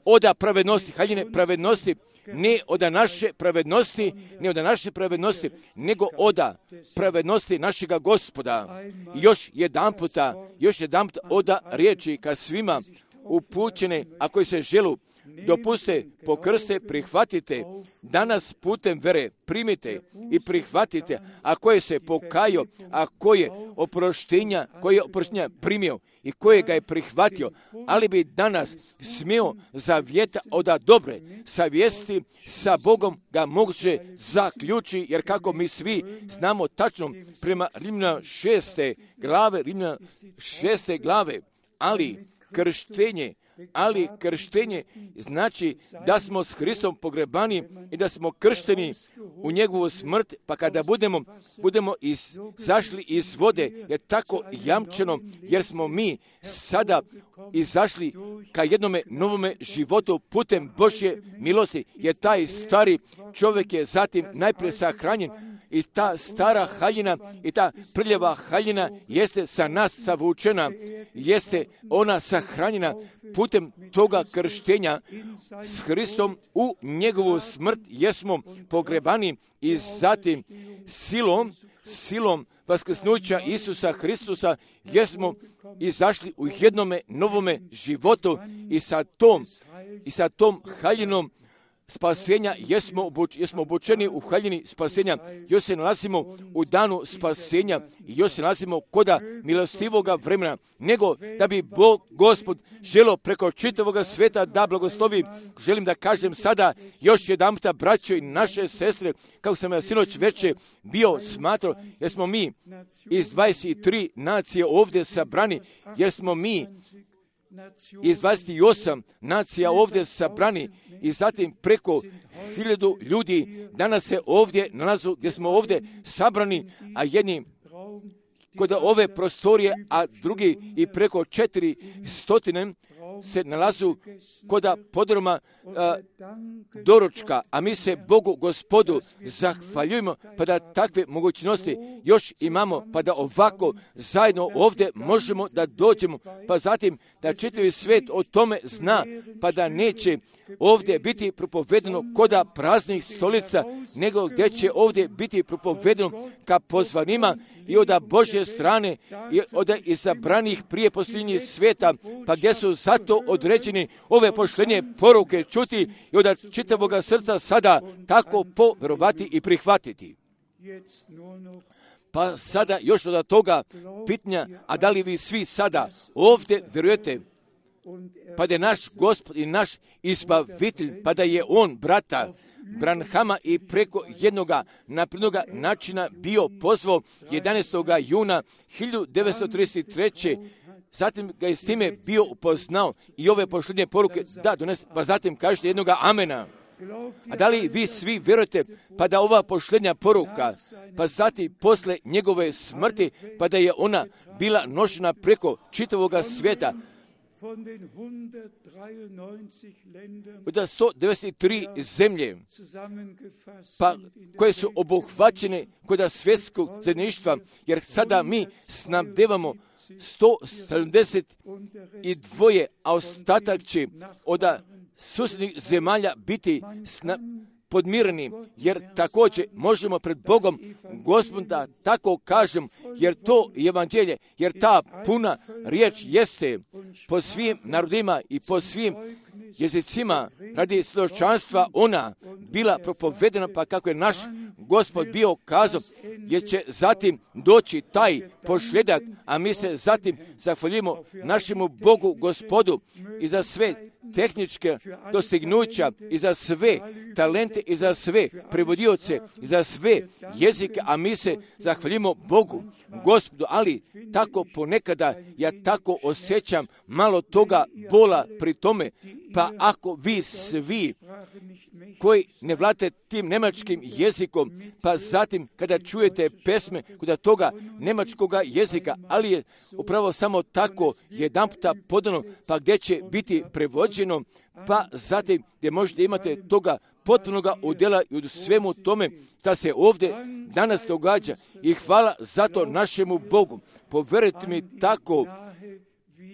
oda pravednosti, haljine pravednosti, ne od naše pravednosti, ne od naše pravednosti, nego od pravednosti našega Gospoda. I još jedan puta, još jedan puta oda riječi ka svima upućene, a koji se želu, dopuste, pokrste, prihvatite, danas putem vere primite i prihvatite, a koje se pokajo, a koje oproštenja, koje oproštenja primio i koje ga je prihvatio, ali bi danas smio zavjeta od dobre savjesti sa Bogom ga moguće zaključi, jer kako mi svi znamo tačno prema Rimljana šeste glave, Rimljana šeste glave, ali krštenje, ali krštenje znači da smo s Hristom pogrebani i da smo kršteni u njegovu smrt, pa kada budemo, budemo izašli iz vode, je tako jamčeno, jer smo mi sada izašli ka jednome novome životu putem Božje milosti, jer taj stari čovjek je zatim najprije sahranjen i ta stara haljina i ta prljava haljina jeste sa nas savučena, jeste ona sahranjena putem toga krštenja s Hristom u njegovu smrt, jesmo pogrebani i zatim silom, silom vaskrsnuća Isusa Hristusa jesmo izašli u jednome novome životu i sa tom, i sa tom haljinom spasenja jesmo, obuč, jesmo obučeni u haljini spasenja, još se nalazimo u danu spasenja i još se nalazimo koda milostivoga vremena, nego da bi Bog, Gospod, želo preko čitavoga sveta da blagoslovi. Želim da kažem sada još jedan puta, braćo i naše sestre, kako sam ja sinoć veče bio smatrao, jer smo mi iz dvadeset tri nacije ovdje sabrani, jer smo mi iz dvadeset osam nacija ovdje sabrani i zatim preko hiljadu ljudi danas se ovdje nalazu, gdje smo ovdje sabrani, a jedni kod ove prostorije, a drugi i preko četiri stotine se nalazu kod podruma a, doručka, a mi se Bogu Gospodu zahvaljujemo pa da takve mogućnosti još imamo, pa da ovako zajedno ovdje možemo da dođemo, pa zatim da čitavi svijet o tome zna, pa da neće ovdje biti propovedeno koda praznih stolica, nego gdje će ovdje biti propovedeno ka pozvanima i od Božje strane i od izabranih prije posljednjih svijeta, pa gdje su zato određeni ove poštenje poruke čuti i od čitavoga srca sada tako poverovati i prihvatiti. Pa sada još od toga pitanja, a da li vi svi sada ovdje vjerujete, pa da je naš Gospod i naš izbavitelj, pa da je on brata Branhama i preko jednoga naprednoga načina bio pozvao jedanaestog juna hiljadu devetsto trideset treće Zatim ga je s time bio upoznao i ove poštenje poruke da donese, pa zatim kažete jednoga amena. A da li vi svi vjerujete pa da ova poštenja poruka, pa zatim posle njegove smrti, pa da je ona bila nošena preko čitavoga svijeta, od sto devedeset tri zemlje, pa koje su obuhvaćene kod svjetskog zajedništva, jer sada mi snabdevamo sto sedamdeset dva, a ostatak će od susjednih zemalja biti sna, podmireni, jer također možemo pred Bogom Gospoda tako kažem, jer to je evanđelje, jer ta puna riječ jeste po svim narodima i po svim jezicima radi svjedočanstva ona bila propovedena, pa kako je naš Gospod bio kazao, jer će zatim doći taj pošljedak, a mi se zatim zahvaljujemo našemu Bogu Gospodu i za sve tehničke dostignuća i za sve talente i za sve prevodioce i za sve jezike, a mi se zahvaljujemo Bogu, Gospodu, ali tako ponekada ja tako osjećam malo toga bola pri tome, pa ako vi svi koji ne vladate tim nemačkim jezikom, pa zatim kada čujete pesme kod toga nemačkoga jezika, ali je upravo samo tako jedanputa podano, pa gdje će biti prevođeno, pa zatim gdje možete imate toga potpunoga udjela i u svemu tome što se ovdje danas događa. I hvala zato našemu Bogu. Poverujte mi tako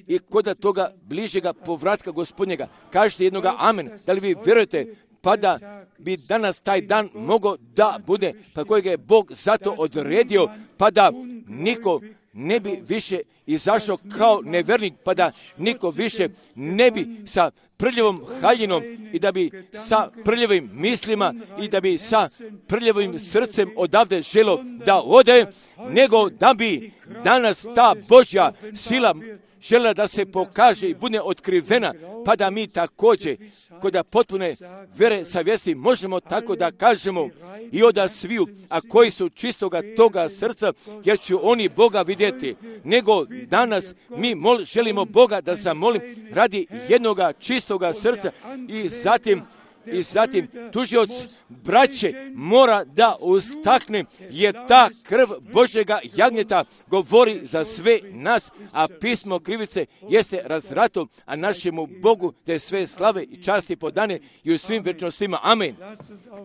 i kod toga bližega povratka Gospodnjega. Kažete jednoga amen. Da li vi vjerujete pa da bi danas taj dan mogao da bude, pa kojeg je Bog zato odredio, pa da niko ne bi više izašao kao nevernik, pa da niko više ne bi sa prljavom haljinom i da bi sa prljavim mislima i da bi sa prljavim srcem odavde želo da ode, nego da bi danas ta Božja sila žela da se pokaže i bude otkrivena, pa da mi također kod potpune vere savjesti možemo tako da kažemo i oda sviju, a koji su čistoga toga srca, jer će oni Boga vidjeti. Nego danas mi mol, želimo Boga da zamolim radi jednoga čistoga srca i zatim I zatim tužioc braće mora da ustakne, jer ta krv Božjega jagnjeta govori za sve nas, a pismo krivice jeste razrato, a našemu Bogu da je sve slave i časti podane i u svim večnostima. Amen.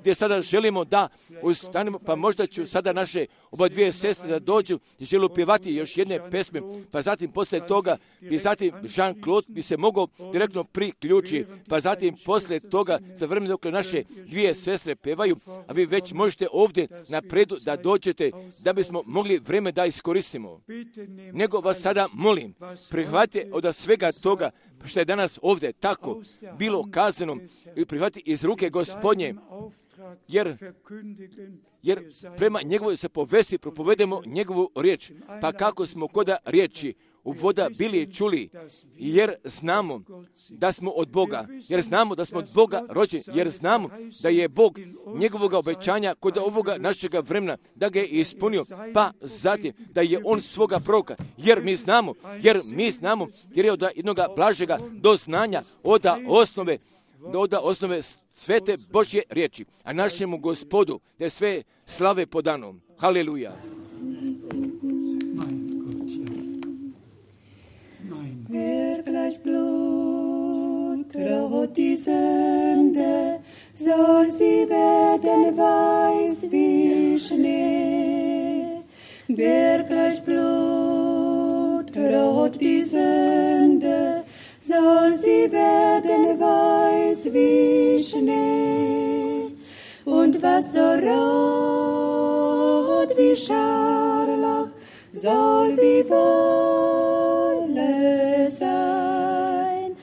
Gdje sada želimo da ustanemo, pa možda ću sada naše oba dvije sestre da dođu i žele pjevati još jedne pesme, pa zatim poslije toga bi zatim Jean-Claude bi se mogao direktno priključiti, pa zatim poslije toga za vreme dok naše dvije sestre pevaju, a vi već možete ovdje napredu da dođete da bismo mogli vreme da iskoristimo. Nego vas sada molim, prihvatite od svega toga što je danas ovdje tako bilo kazano i prihvatite iz ruke Gospodnje, jer jer prema njegovoj se povesti propovedemo njegovu riječ, pa kako smo koda riječi u voda bili čuli, jer znamo da smo od Boga, jer znamo da smo od Boga rođeni, jer znamo da je Bog njegovog obećanja kod ovoga našega vremena, da ga je ispunio, pa zatim da je on svoga proroka, jer mi znamo, jer mi znamo, jer je od jednoga blažega do znanja, od osnove, od osnove svete Božje riječi, a našemu Gospodu da je sve slave podano. Haleluja. Wer gleich Blut traut die Sünde, soll sie werden weiß wie Schnee. Wer gleich Blut traut die Sünde, soll sie werden weiß wie Schnee. Und was so rot wie Scharlach, soll wie Wolle sein.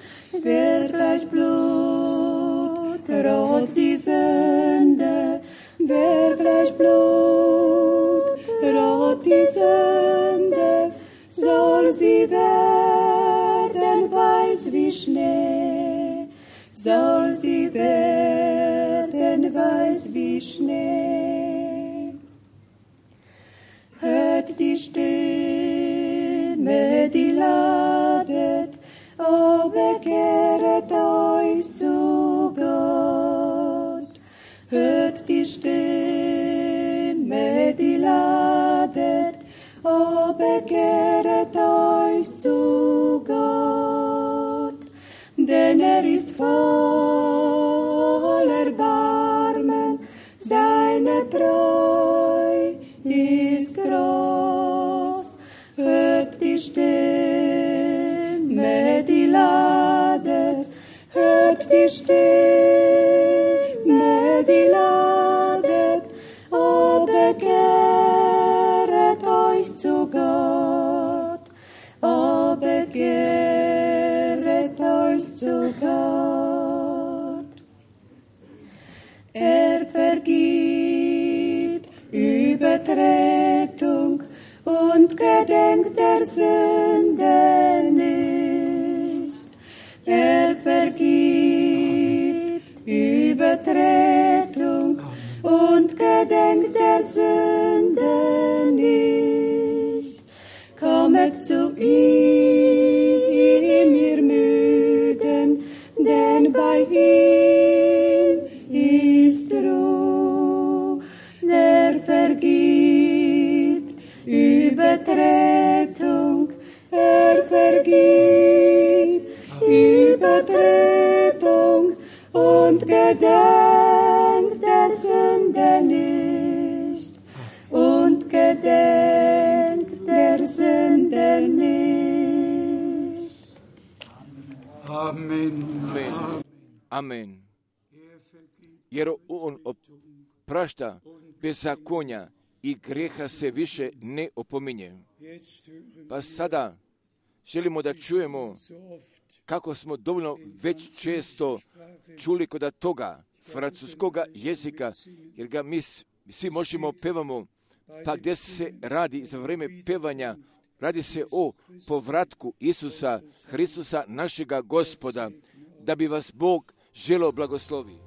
Wer gleich Blut rot die Sünde, wer gleich Blut rot die Sünde, soll sie werden weiß wie Schnee, soll sie werden weiß wie Schnee. Hört die Stimme, die ladet, o bekehret euch zu Gott. Hört die Stimme, die ladet, o bekehret euch zu Gott. Denn er ist voll Erbarmen, seine Treu ist groß. Hört die Stimme, die ladet, hört die Stimme, die ladet, o bekehret euch zu Gott, o bekehret euch zu Gott. Er vergibt Übertretung und gedenkt der Sünde nicht. Er vergibt Übertretung und gedenkt der Sünden nicht. Kommet zu ihm, ihr Müden, denn bei ihm ist Ruhe. Er vergibt Übertretung, er vergibt Übertretung und gedenkt der Sünde nicht. Und gedenkt der Sünde nicht. Amen. Amen. Amen. Jer on oprašta bezakonja i greha se više ne opominje. Pa sada želimo da čujemo kako smo dovoljno već često čuli kod toga francuskoga jezika, jer ga mi svi možemo pevamo, pa gdje se radi za vrijeme pevanja, radi se o povratku Isusa Hristusa, našega Gospoda, da bi vas Bog želeo blagoslovi.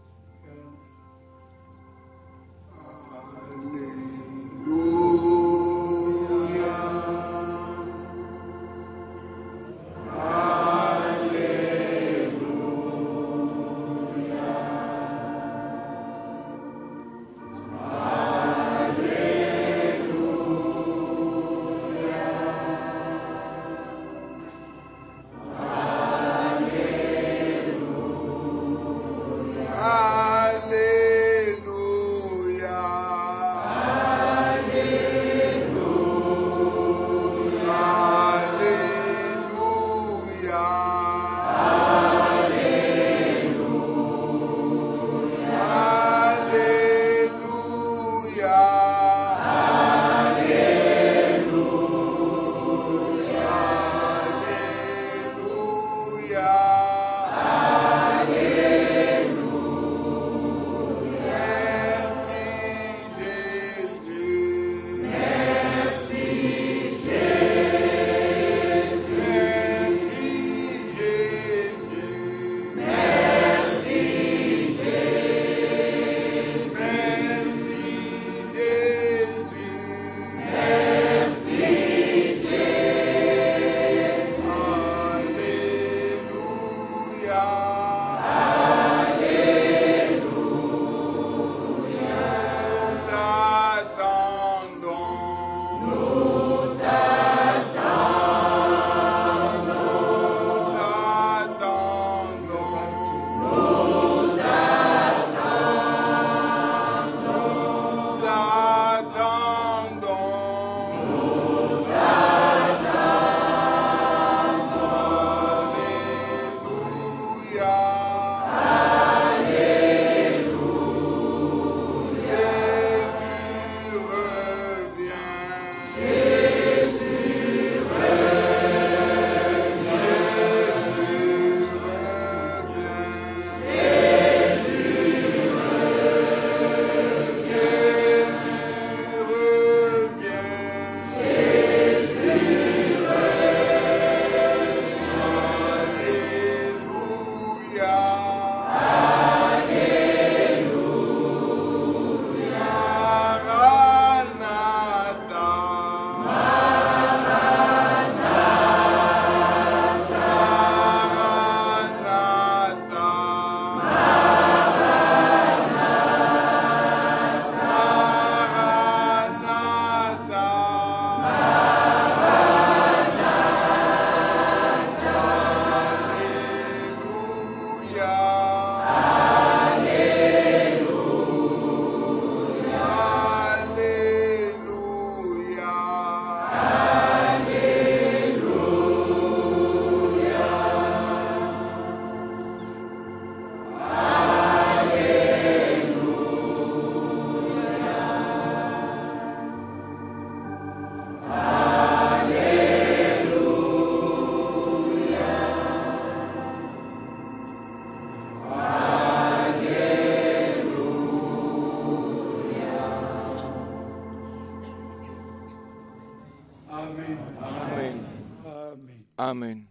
Amen.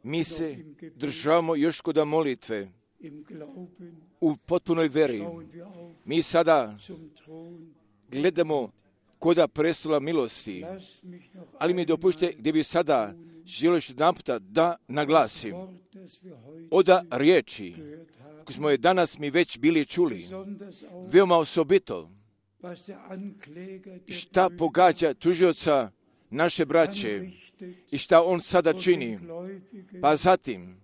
Mi se državamo još kod molitve. u potpunoj veri. Mi sada gledamo koda prestola milosti, ali mi dopušte gdje bi sada želio još jedan puta da naglasim oda riječi koje smo je danas mi već bili čuli, veoma osobito šta pogađa tužioca naše braće i šta on sada čini, pa zatim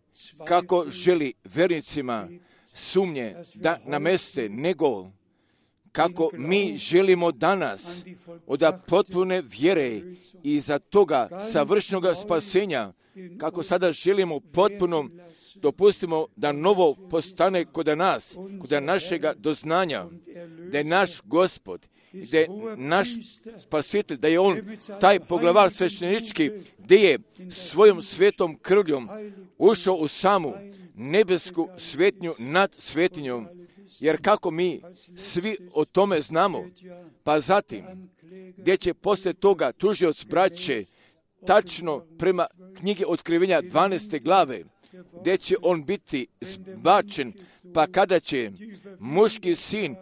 kako želi vernicima sumnje da nameste, nego kako mi želimo danas od potpune vjere i za toga savršenog spasenja, kako sada želimo potpuno dopustimo da novo postane kod nas, kod našega doznanja, da je naš Gospod, da je naš spasitelj, da je on taj poglavar sveštenički, gdje je svojom svetom krvljom ušao u samu nebesku svetnju nad svetinjom. Jer kako mi svi o tome znamo, pa zatim, gdje će poslije toga tužioc braće, tačno prema knjige Otkrivenja dvanaeste glave, gdje će on biti zbačen, pa kada će muški sin,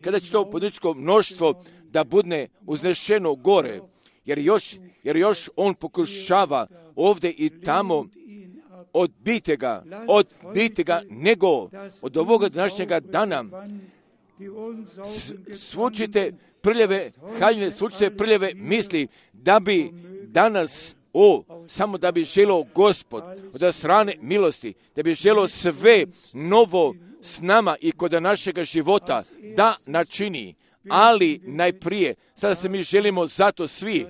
kada će to podničko mnoštvo da budne uznešeno gore, jer još, jer još on pokušava ovdje i tamo odbiti ga, odbiti ga, nego od ovoga današnjega dana svučite prljave haljine, svučite prljave misli, da bi danas, o, samo da bi želio Gospod od strane milosti, da bi želio sve novo s nama i kod našega života da načini, ali najprije, sada se mi želimo zato svi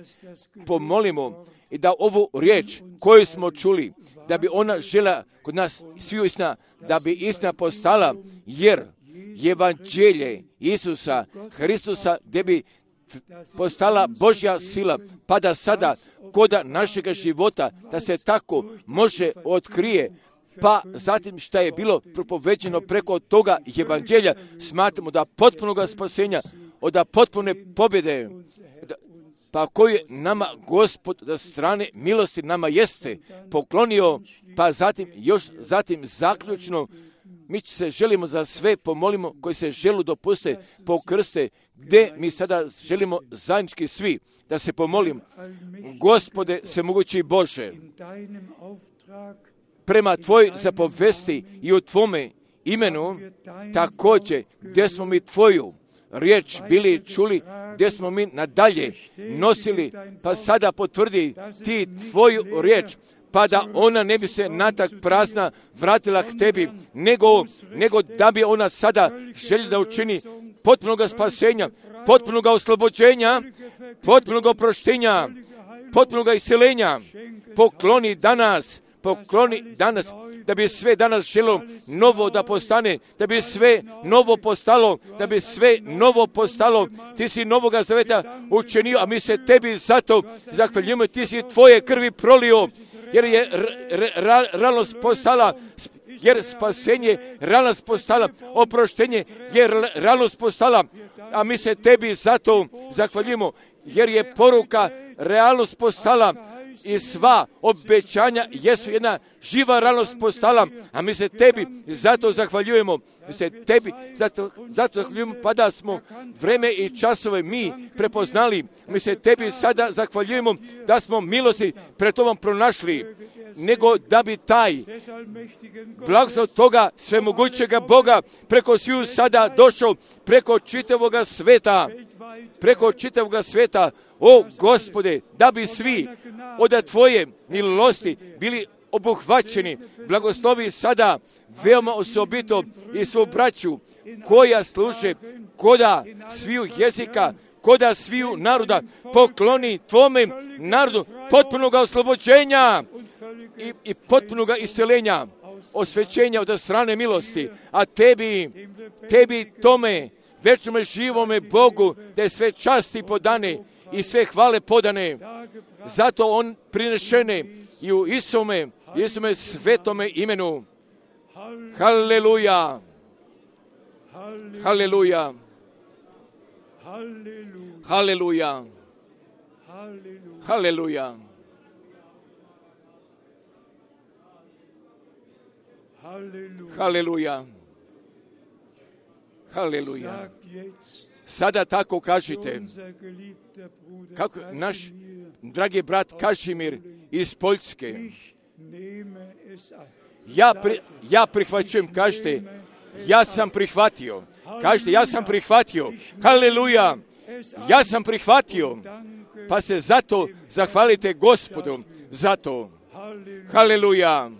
pomolimo i da ovu riječ koju smo čuli, da bi ona žela kod nas svi istina, da bi istina postala, jer evanđelje Isusa Hristusa, gdje bi postala Božja sila, pa da sada kod našega života, da se tako može otkrije, pa zatim šta je bilo propoveđeno preko toga evanđelja, smatramo da potpunog spasenja, od potpune pobjede, pa koju nama Gospod da strane milosti nama jeste poklonio, pa zatim još zatim zaključno mi se želimo za sve pomolimo koji se želu dopuste pokrste, gdje mi sada želimo zajednički svi da se pomolim. Gospode svemogući Bože, prema tvoj zapovesti i u tvome imenu također gdje smo mi tvoju riječ bili čuli, gdje smo mi nadalje nosili, pa sada potvrdi ti tvoju riječ, pa da ona ne bi se natak prazna vratila k tebi, nego, nego da bi ona sada želja da učini potpunog spasenja, potpunog oslobođenja, potpunog oproštenja, potpunog iseljenja. Pokloni danas, pokloni danas, da bi sve danas želo novo da postane, da bi sve novo postalo, da bi sve novo postalo. Ti si novoga zaveta učinio, a mi se tebi zato zahvaljujemo. Ti si tvoje krvi prolio, jer je realnost postala, jer spasenje realnost postala, oproštenje je realnost postala, a mi se tebi zato zahvaljujemo, jer je poruka realnost postala i sva obećanja jesu jedna živa realnost postala, a mi se tebi zato zahvaljujemo, mi se tebi zato, zato zahvaljujemo, pa da smo vreme i časove mi prepoznali, mi se tebi sada zahvaljujemo da smo milosti pred tobom pronašli, nego da bi taj blagoslov toga svemogućega Boga preko sviju sada došao, preko čitavoga sveta, preko čitavoga sveta, o Gospode, da bi svi od tvoje milosti bili obuhvaćeni. Blagoslovi sada veoma osobito i svu braću koja služe koda sviju jezika, koda sviju naroda, pokloni tvome narodu potpunog oslobođenja i, i potpunog isceljenja, osvećenja od strane milosti, a tebi, tebi tome večnome živome Bogu, da je sve časti podane i sve hvale podane, zato on prinešene i u Isume, Isume svetome imenu. Haleluja! Haleluja! Haleluja! Haleluja! Haleluja. Haleluja. Sada tako kažite, kako naš dragi brat Kažimir iz Poljske, ja, pri, ja prihvaćujem, kažete, ja sam prihvatio, kažete, ja sam prihvatio, haleluja, ja sam prihvatio, pa se zato zahvalite Gospodu, zato, haleluja,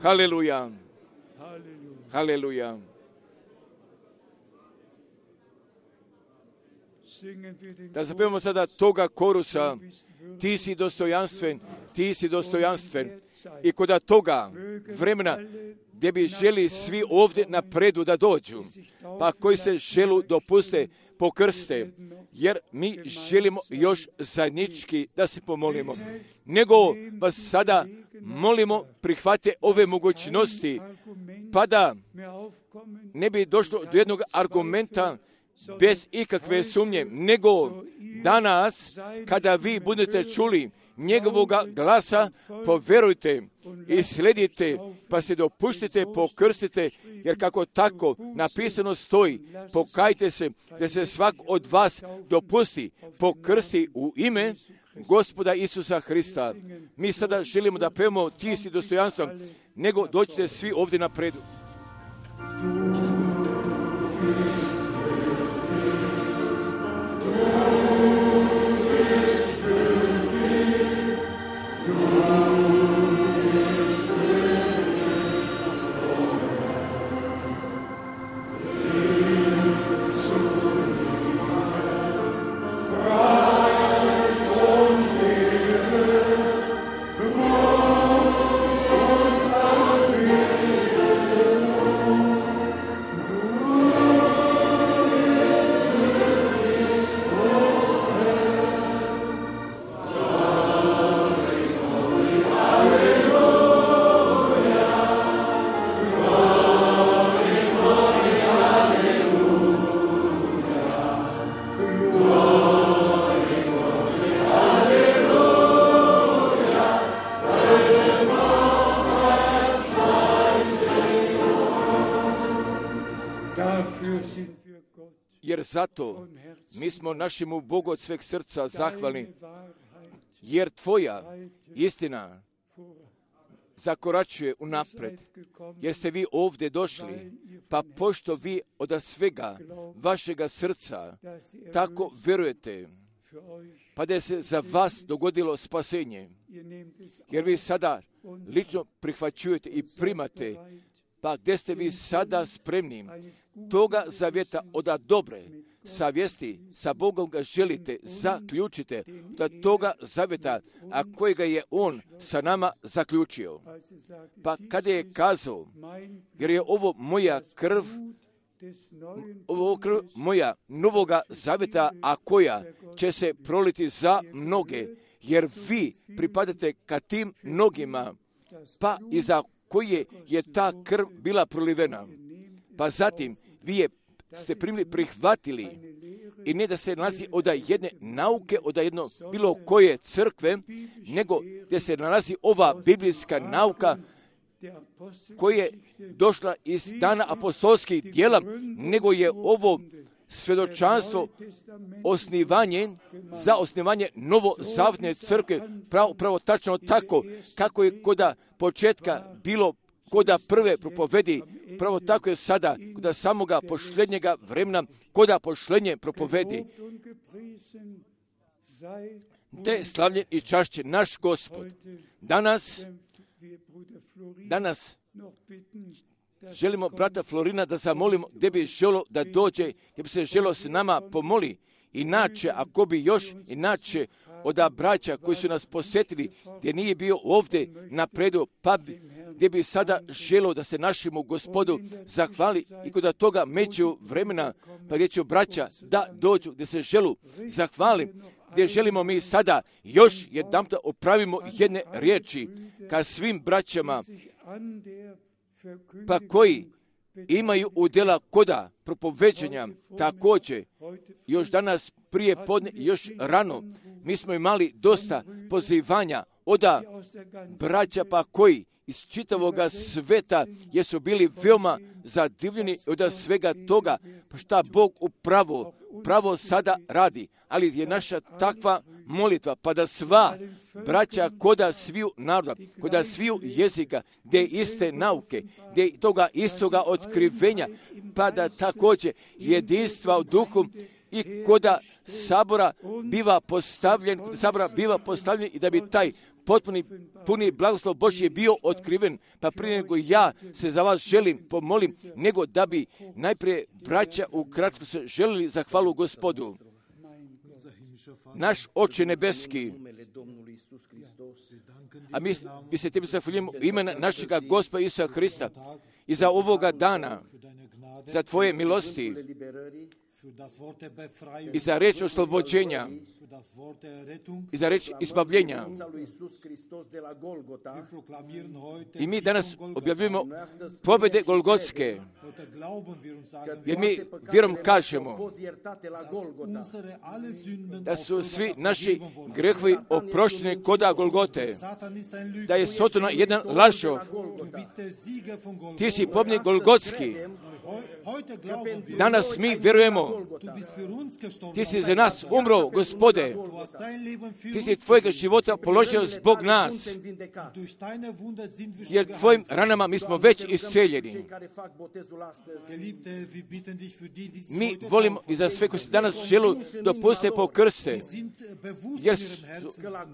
haleluja, haleluja. Da zapevamo sada toga korusa, ti si dostojanstven, ti si dostojanstven. I kod toga vremena gdje bi želi svi ovdje napredu da dođu, pa koji se želu dopuste pokrste, jer mi želimo još zajednički da se pomolimo. Nego vas sada molimo prihvate ove mogućnosti, pa da ne bi došlo do jednog argumenta bez ikakve sumnje, nego danas kada vi budete čuli njegovoga glasa, povjerujte i sledite, pa se dopuštite, pokrstite, jer kako tako napisano stoji, pokajte se da se svak od vas dopusti, pokrsti u ime Gospoda Isusa Hrista. Mi sada želimo da pevamo ti si dostojanstven, nego dođite svi ovdje napredu. Jer zato mi smo našemu Bogu od sveg srca zahvalni, jer tvoja istina zakoračuje unapred, jer ste vi ovdje došli, pa pošto vi od svega vašega srca tako vjerujete, pa da se za vas dogodilo spasenje, jer vi sada lično prihvaćujete i primate, pa gdje ste vi sada spremni toga zavjeta od dobre savjesti sa Bogom ga želite, zaključite da toga zavjeta, a kojega je On sa nama zaključio. Pa kada je kazao, jer je ovo moja krv, ovo krv moja novoga zavjeta, a koja će se proliti za mnoge, jer vi pripadate ka tim mnogima, pa i za koje je ta krv bila prolivena. Pa zatim vi je ste primili, prihvatili i ne da se nalazi od jedne nauke, od jedno bilo koje crkve, nego da se nalazi ova biblijska nauka koja je došla iz dana apostolskih djela, nego je ovo svjedočanstvo osnivanje za osnivanje novozavjetne crkve, pravo, pravo tačno tako kako je koda početka bilo koda prve propovedi, pravo tako je sada koda samoga pošlednjega vremena, koda pošlednje propovedi. Te slavljen i čašće naš Gospod. Danas, danas želimo brata Florina da zamolimo gdje bi želo da dođe, gdje bi se želo s nama pomoli. Inače, ako bi još inače od braća koji su nas posjetili, gdje nije bio ovdje napredu, pa bi, gdje bi sada želo da se našemu Gospodu zahvali i kod toga meću vremena, pa gdje će braća da dođu, gdje se želu zahvali, gdje želimo mi sada još jedan da opravimo jedne riječi ka svim braćama, pa koji imaju udjela koda propoveđenja, također još danas prije podne, još rano, mi smo imali dosta pozivanja oda braća pa koji iz čitavoga sveta, jer su bili veoma zadivljeni od svega toga, pa šta Bog upravo, pravo sada radi. Ali je naša takva molitva, pa da sva braća koda sviju naroda, koda sviju jezika, gdje iste nauke, gdje toga istoga otkrivenja, pa da također jedinstva u duhu i koda sabora biva postavljen, sabora biva postavljen i da bi taj potpuni, puni blagoslov Božji bio otkriven, pa prije nego ja se za vas želim, pomolim, nego da bi najprije braća ukratko se želili za hvalu Gospodu. Naš Oče nebeski, a mi, mi se tebi zahvaljujemo u ime našega Gospoda Isusa Hrista i za ovoga dana, za tvoje milosti i za reč oslobođenja i za reč izbavljenja. I mi danas objavljujemo pobjede Golgotske, jer mi vjerom kažemo da su svi naši grehovi oprošteni koda Golgote, da je Sotona jedan lažov. Ti si pobjednik Golgotski. Danas mi vjerujemo, ti si za nas umro, Gospode. Ti si tvojega života položio zbog nas, jer tvojim ranama mi smo već isceljeni. Mi volimo i za sve koji se danas želu dopuste po krste, jer,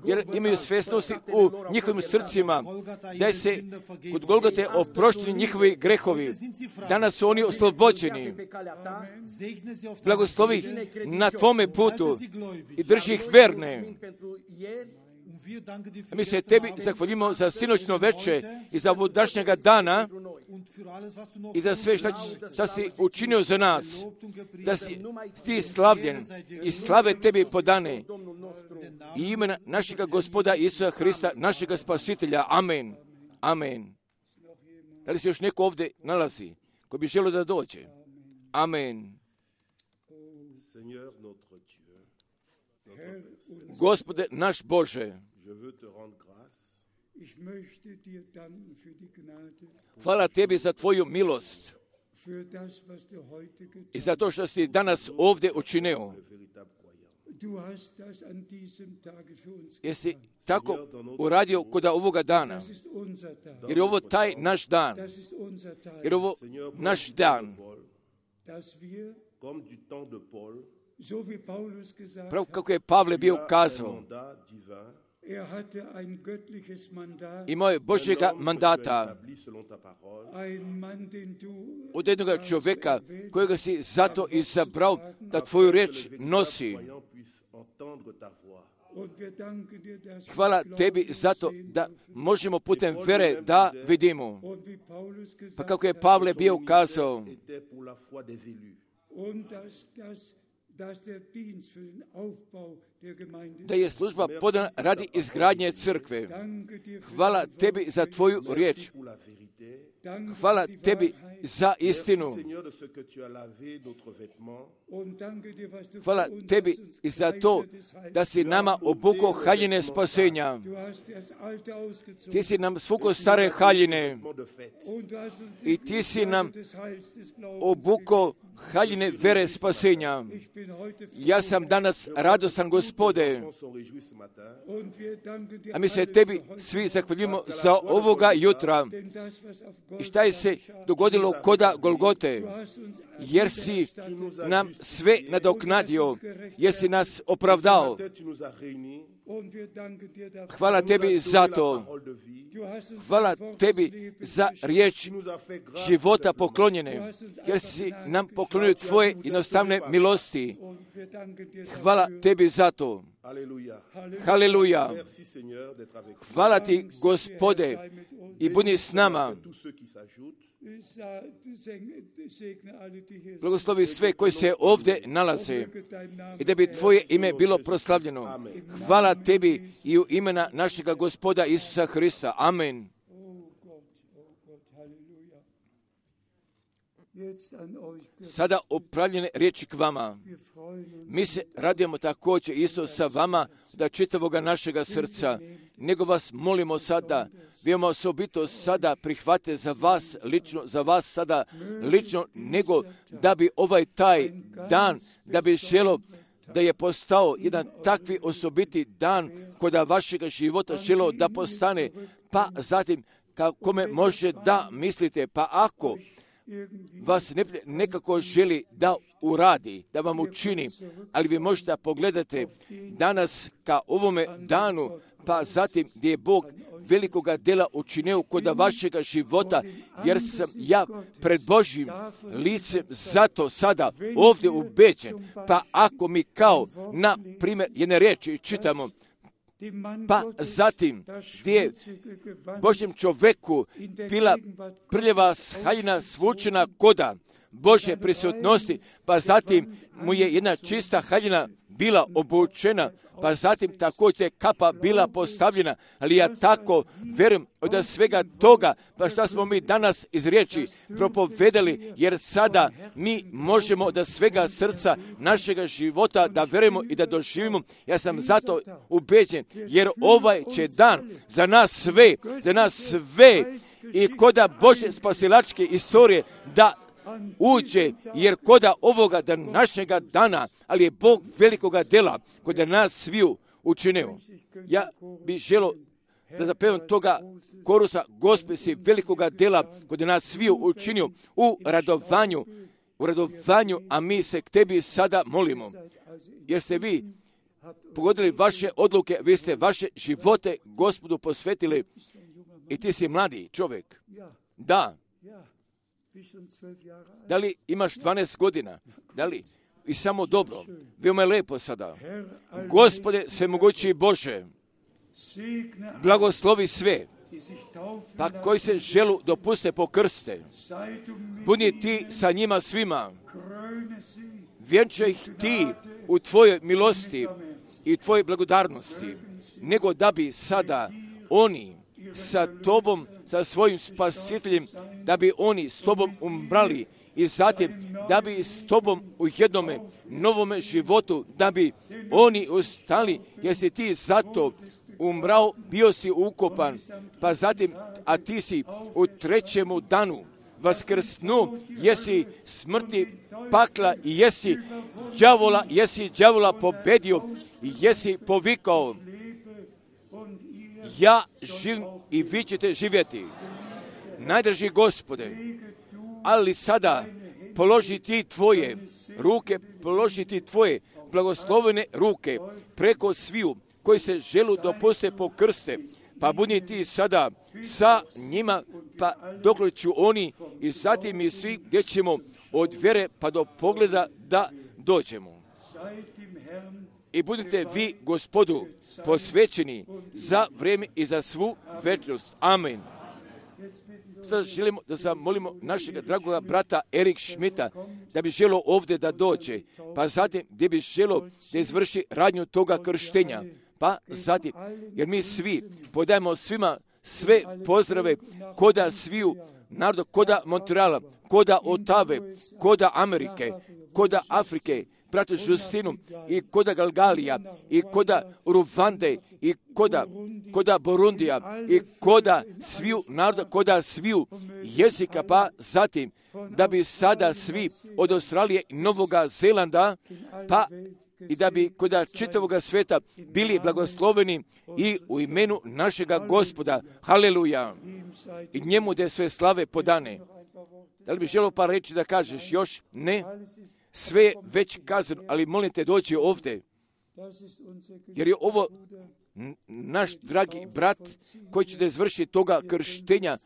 jer imaju svjesnosti u njihovim srcima, da se kod Golgote oprošteni njihovi grehovi. Danas su oni oslobođeni. Blagoslovi na tvome putu i drži ih verne. Mi se tebi zahvaljujemo za sinoćno veče i za ovodašnjega dana i za sve šta, šta si učinio za nas, da si ti slavljen i slave tebi podane i imena našega Gospoda Isusa Hrista, našega Spasitelja. Amen. Amen. Da li se još neko ovdje nalazi ko bi želio da dođe? Amen. Gospode naš Bože, hvala tebi za tvoju milost i za to što si danas ovdje učinio. Jesi tako uradio kod ovoga dana, jer je ovo taj naš dan, jer je ovo naš dan. Pravo kako je Pavle bio kazao, imao je Božjega mandata od jednoga čovjeka kojega si zato izabrao da tvoju riječ nosi. Hvala tebi zato da možemo putem vere da vidimo. Pa kako je Pavle bio kazao, da je služba podana radi izgradnje crkve. Hvala tebi za tvoju riječ. Hvala tebi za istinu. Hvala tebi i za to da si nama obukao haljine spasenja. Ti si nam svukao stare haljine i ti si nam obukao haljine vere spasenja. Ja sam danas radosan, Gospode, a mi se tebi svi zahvaljujemo za ovoga jutra. I šta je se dogodilo koda Golgote? Jer si nam sve nadoknadio, jer si nas opravdao. Hvala tebi za to. Hvala tebi za riječ života poklonjene, jer si nam poklonio tvoje jednostavne milosti. Hvala tebi za to. Haleluja. Hvala ti, Gospode, i budi s nama. Blagoslovi sve koji se ovdje nalaze i da bi tvoje ime bilo proslavljeno. Hvala tebi i u imena našega Gospoda Isusa Hrista. Amen. Sada upravljene riječi k vama. Mi se radujemo također isto sa vama da čitavoga našega srca, nego vas molimo sada, veoma osobito sada prihvate za vas lično, za vas sada lično, nego da bi ovaj taj dan, da bi želo da je postao jedan takvi osobiti dan kod vašega života želo da postane, pa zatim kome može da mislite, pa ako vas ne, nekako želi da uradi, da vam učini, ali vi možete pogledati danas ka ovome danu, pa zatim gdje je Bog velikoga dela učinio kod vašega života, jer sam ja pred Božjim licem zato sada ovdje ubeđen. Pa ako mi kao na primjer jedne riječi čitamo, pa zatim gdje je Božjem čovjeku bila prljava haljina svučena koda Božje prisutnosti, pa zatim mu je jedna čista haljina bila obučena, pa zatim također kapa bila postavljena, ali ja tako vjerujem od svega toga, pa šta smo mi danas iz riječi propovedali, jer sada mi možemo od svega srca našega života da vjerujemo i da doživimo. Ja sam zato ubeđen, jer ovaj će dan za nas sve, za nas sve i koda Božje spasilačke istorije da uđe, jer koda ovoga današnjega dana, ali je Bog velikoga dela kod nas sviju učinio. Ja bih želio da zapevam toga korusa, Gospod si velikoga dela kod nas sviju učinio u radovanju, u radovanju, a mi se k tebi sada molimo, jer ste vi pogodili vaše odluke, vi ste vaše živote Gospodu posvetili i ti si mladi čovjek. Da. Da li imaš dvanaest godina? Da li? I samo dobro. Veoma je lepo sada. Gospode, svemogući Bože, blagoslovi sve, pa koji se želu dopuste po krste. Budi ti sa njima svima. Vjenčaj ih ti u tvojoj milosti i tvojoj blagodarnosti, nego da bi sada oni sa tobom, sa svojim spasiteljem, da bi oni s tobom umrali i zatim da bi s tobom u jednome novome životu, da bi oni ostali, jer si ti zato umrao, bio si ukopan, pa zatim, a ti si u trećemu danu vaskrsnu, jesi smrti pakla i jesi đavola, jesi đavola pobedio i jesi povikao, ja živim i vi ćete živjeti. Najdraži Gospode, ali sada položi ti tvoje ruke, položi ti tvoje blagoslovene ruke preko sviju koji se želu dopuste po krste, pa budi ti sada sa njima, pa dokliču oni i zatim i svi gdje ćemo od vjere pa do pogleda da dođemo. I budite vi Gospodu posvećeni za vrijeme i za svu večnost. Amen. Sada želimo da zamolimo našeg dragoga brata Erik Šmita da bi želo ovdje da dođe, pa zatim gdje bi želo da izvrši radnju toga krštenja, pa zatim, jer mi svi podajemo svima sve pozdrave koda sviju naroda, koda Montreala, koda Otave, koda Amerike, koda Afrike, bratu Justinu i koda Galgalija i koda Ruvande i koda, koda Burundija i koda sviju naroda, koda sviju jezika, pa zatim da bi sada svi od Australije i Novoga Zelanda, pa i da bi koda čitavoga sveta bili blagosloveni i u imenu našega Gospoda. Haleluja! I njemu da je sve slave podane. Da li bi želio par reći da kažeš još? Ne? Sve je već kazano, ali molim te doći ovdje, jer je ovo naš dragi brat koji će da izvrši toga krštenja.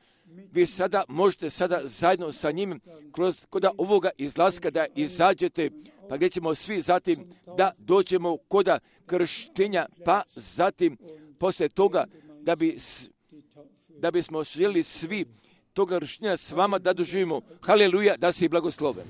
Vi sada možete sada zajedno sa njim kroz koda ovoga izlaska da izađete, pa gdje ćemo svi zatim da dođemo koda krštenja, pa zatim poslije toga da bi da bismo želi svi toga krštenja s vama da doživimo. Haleluja, da si blagosloven.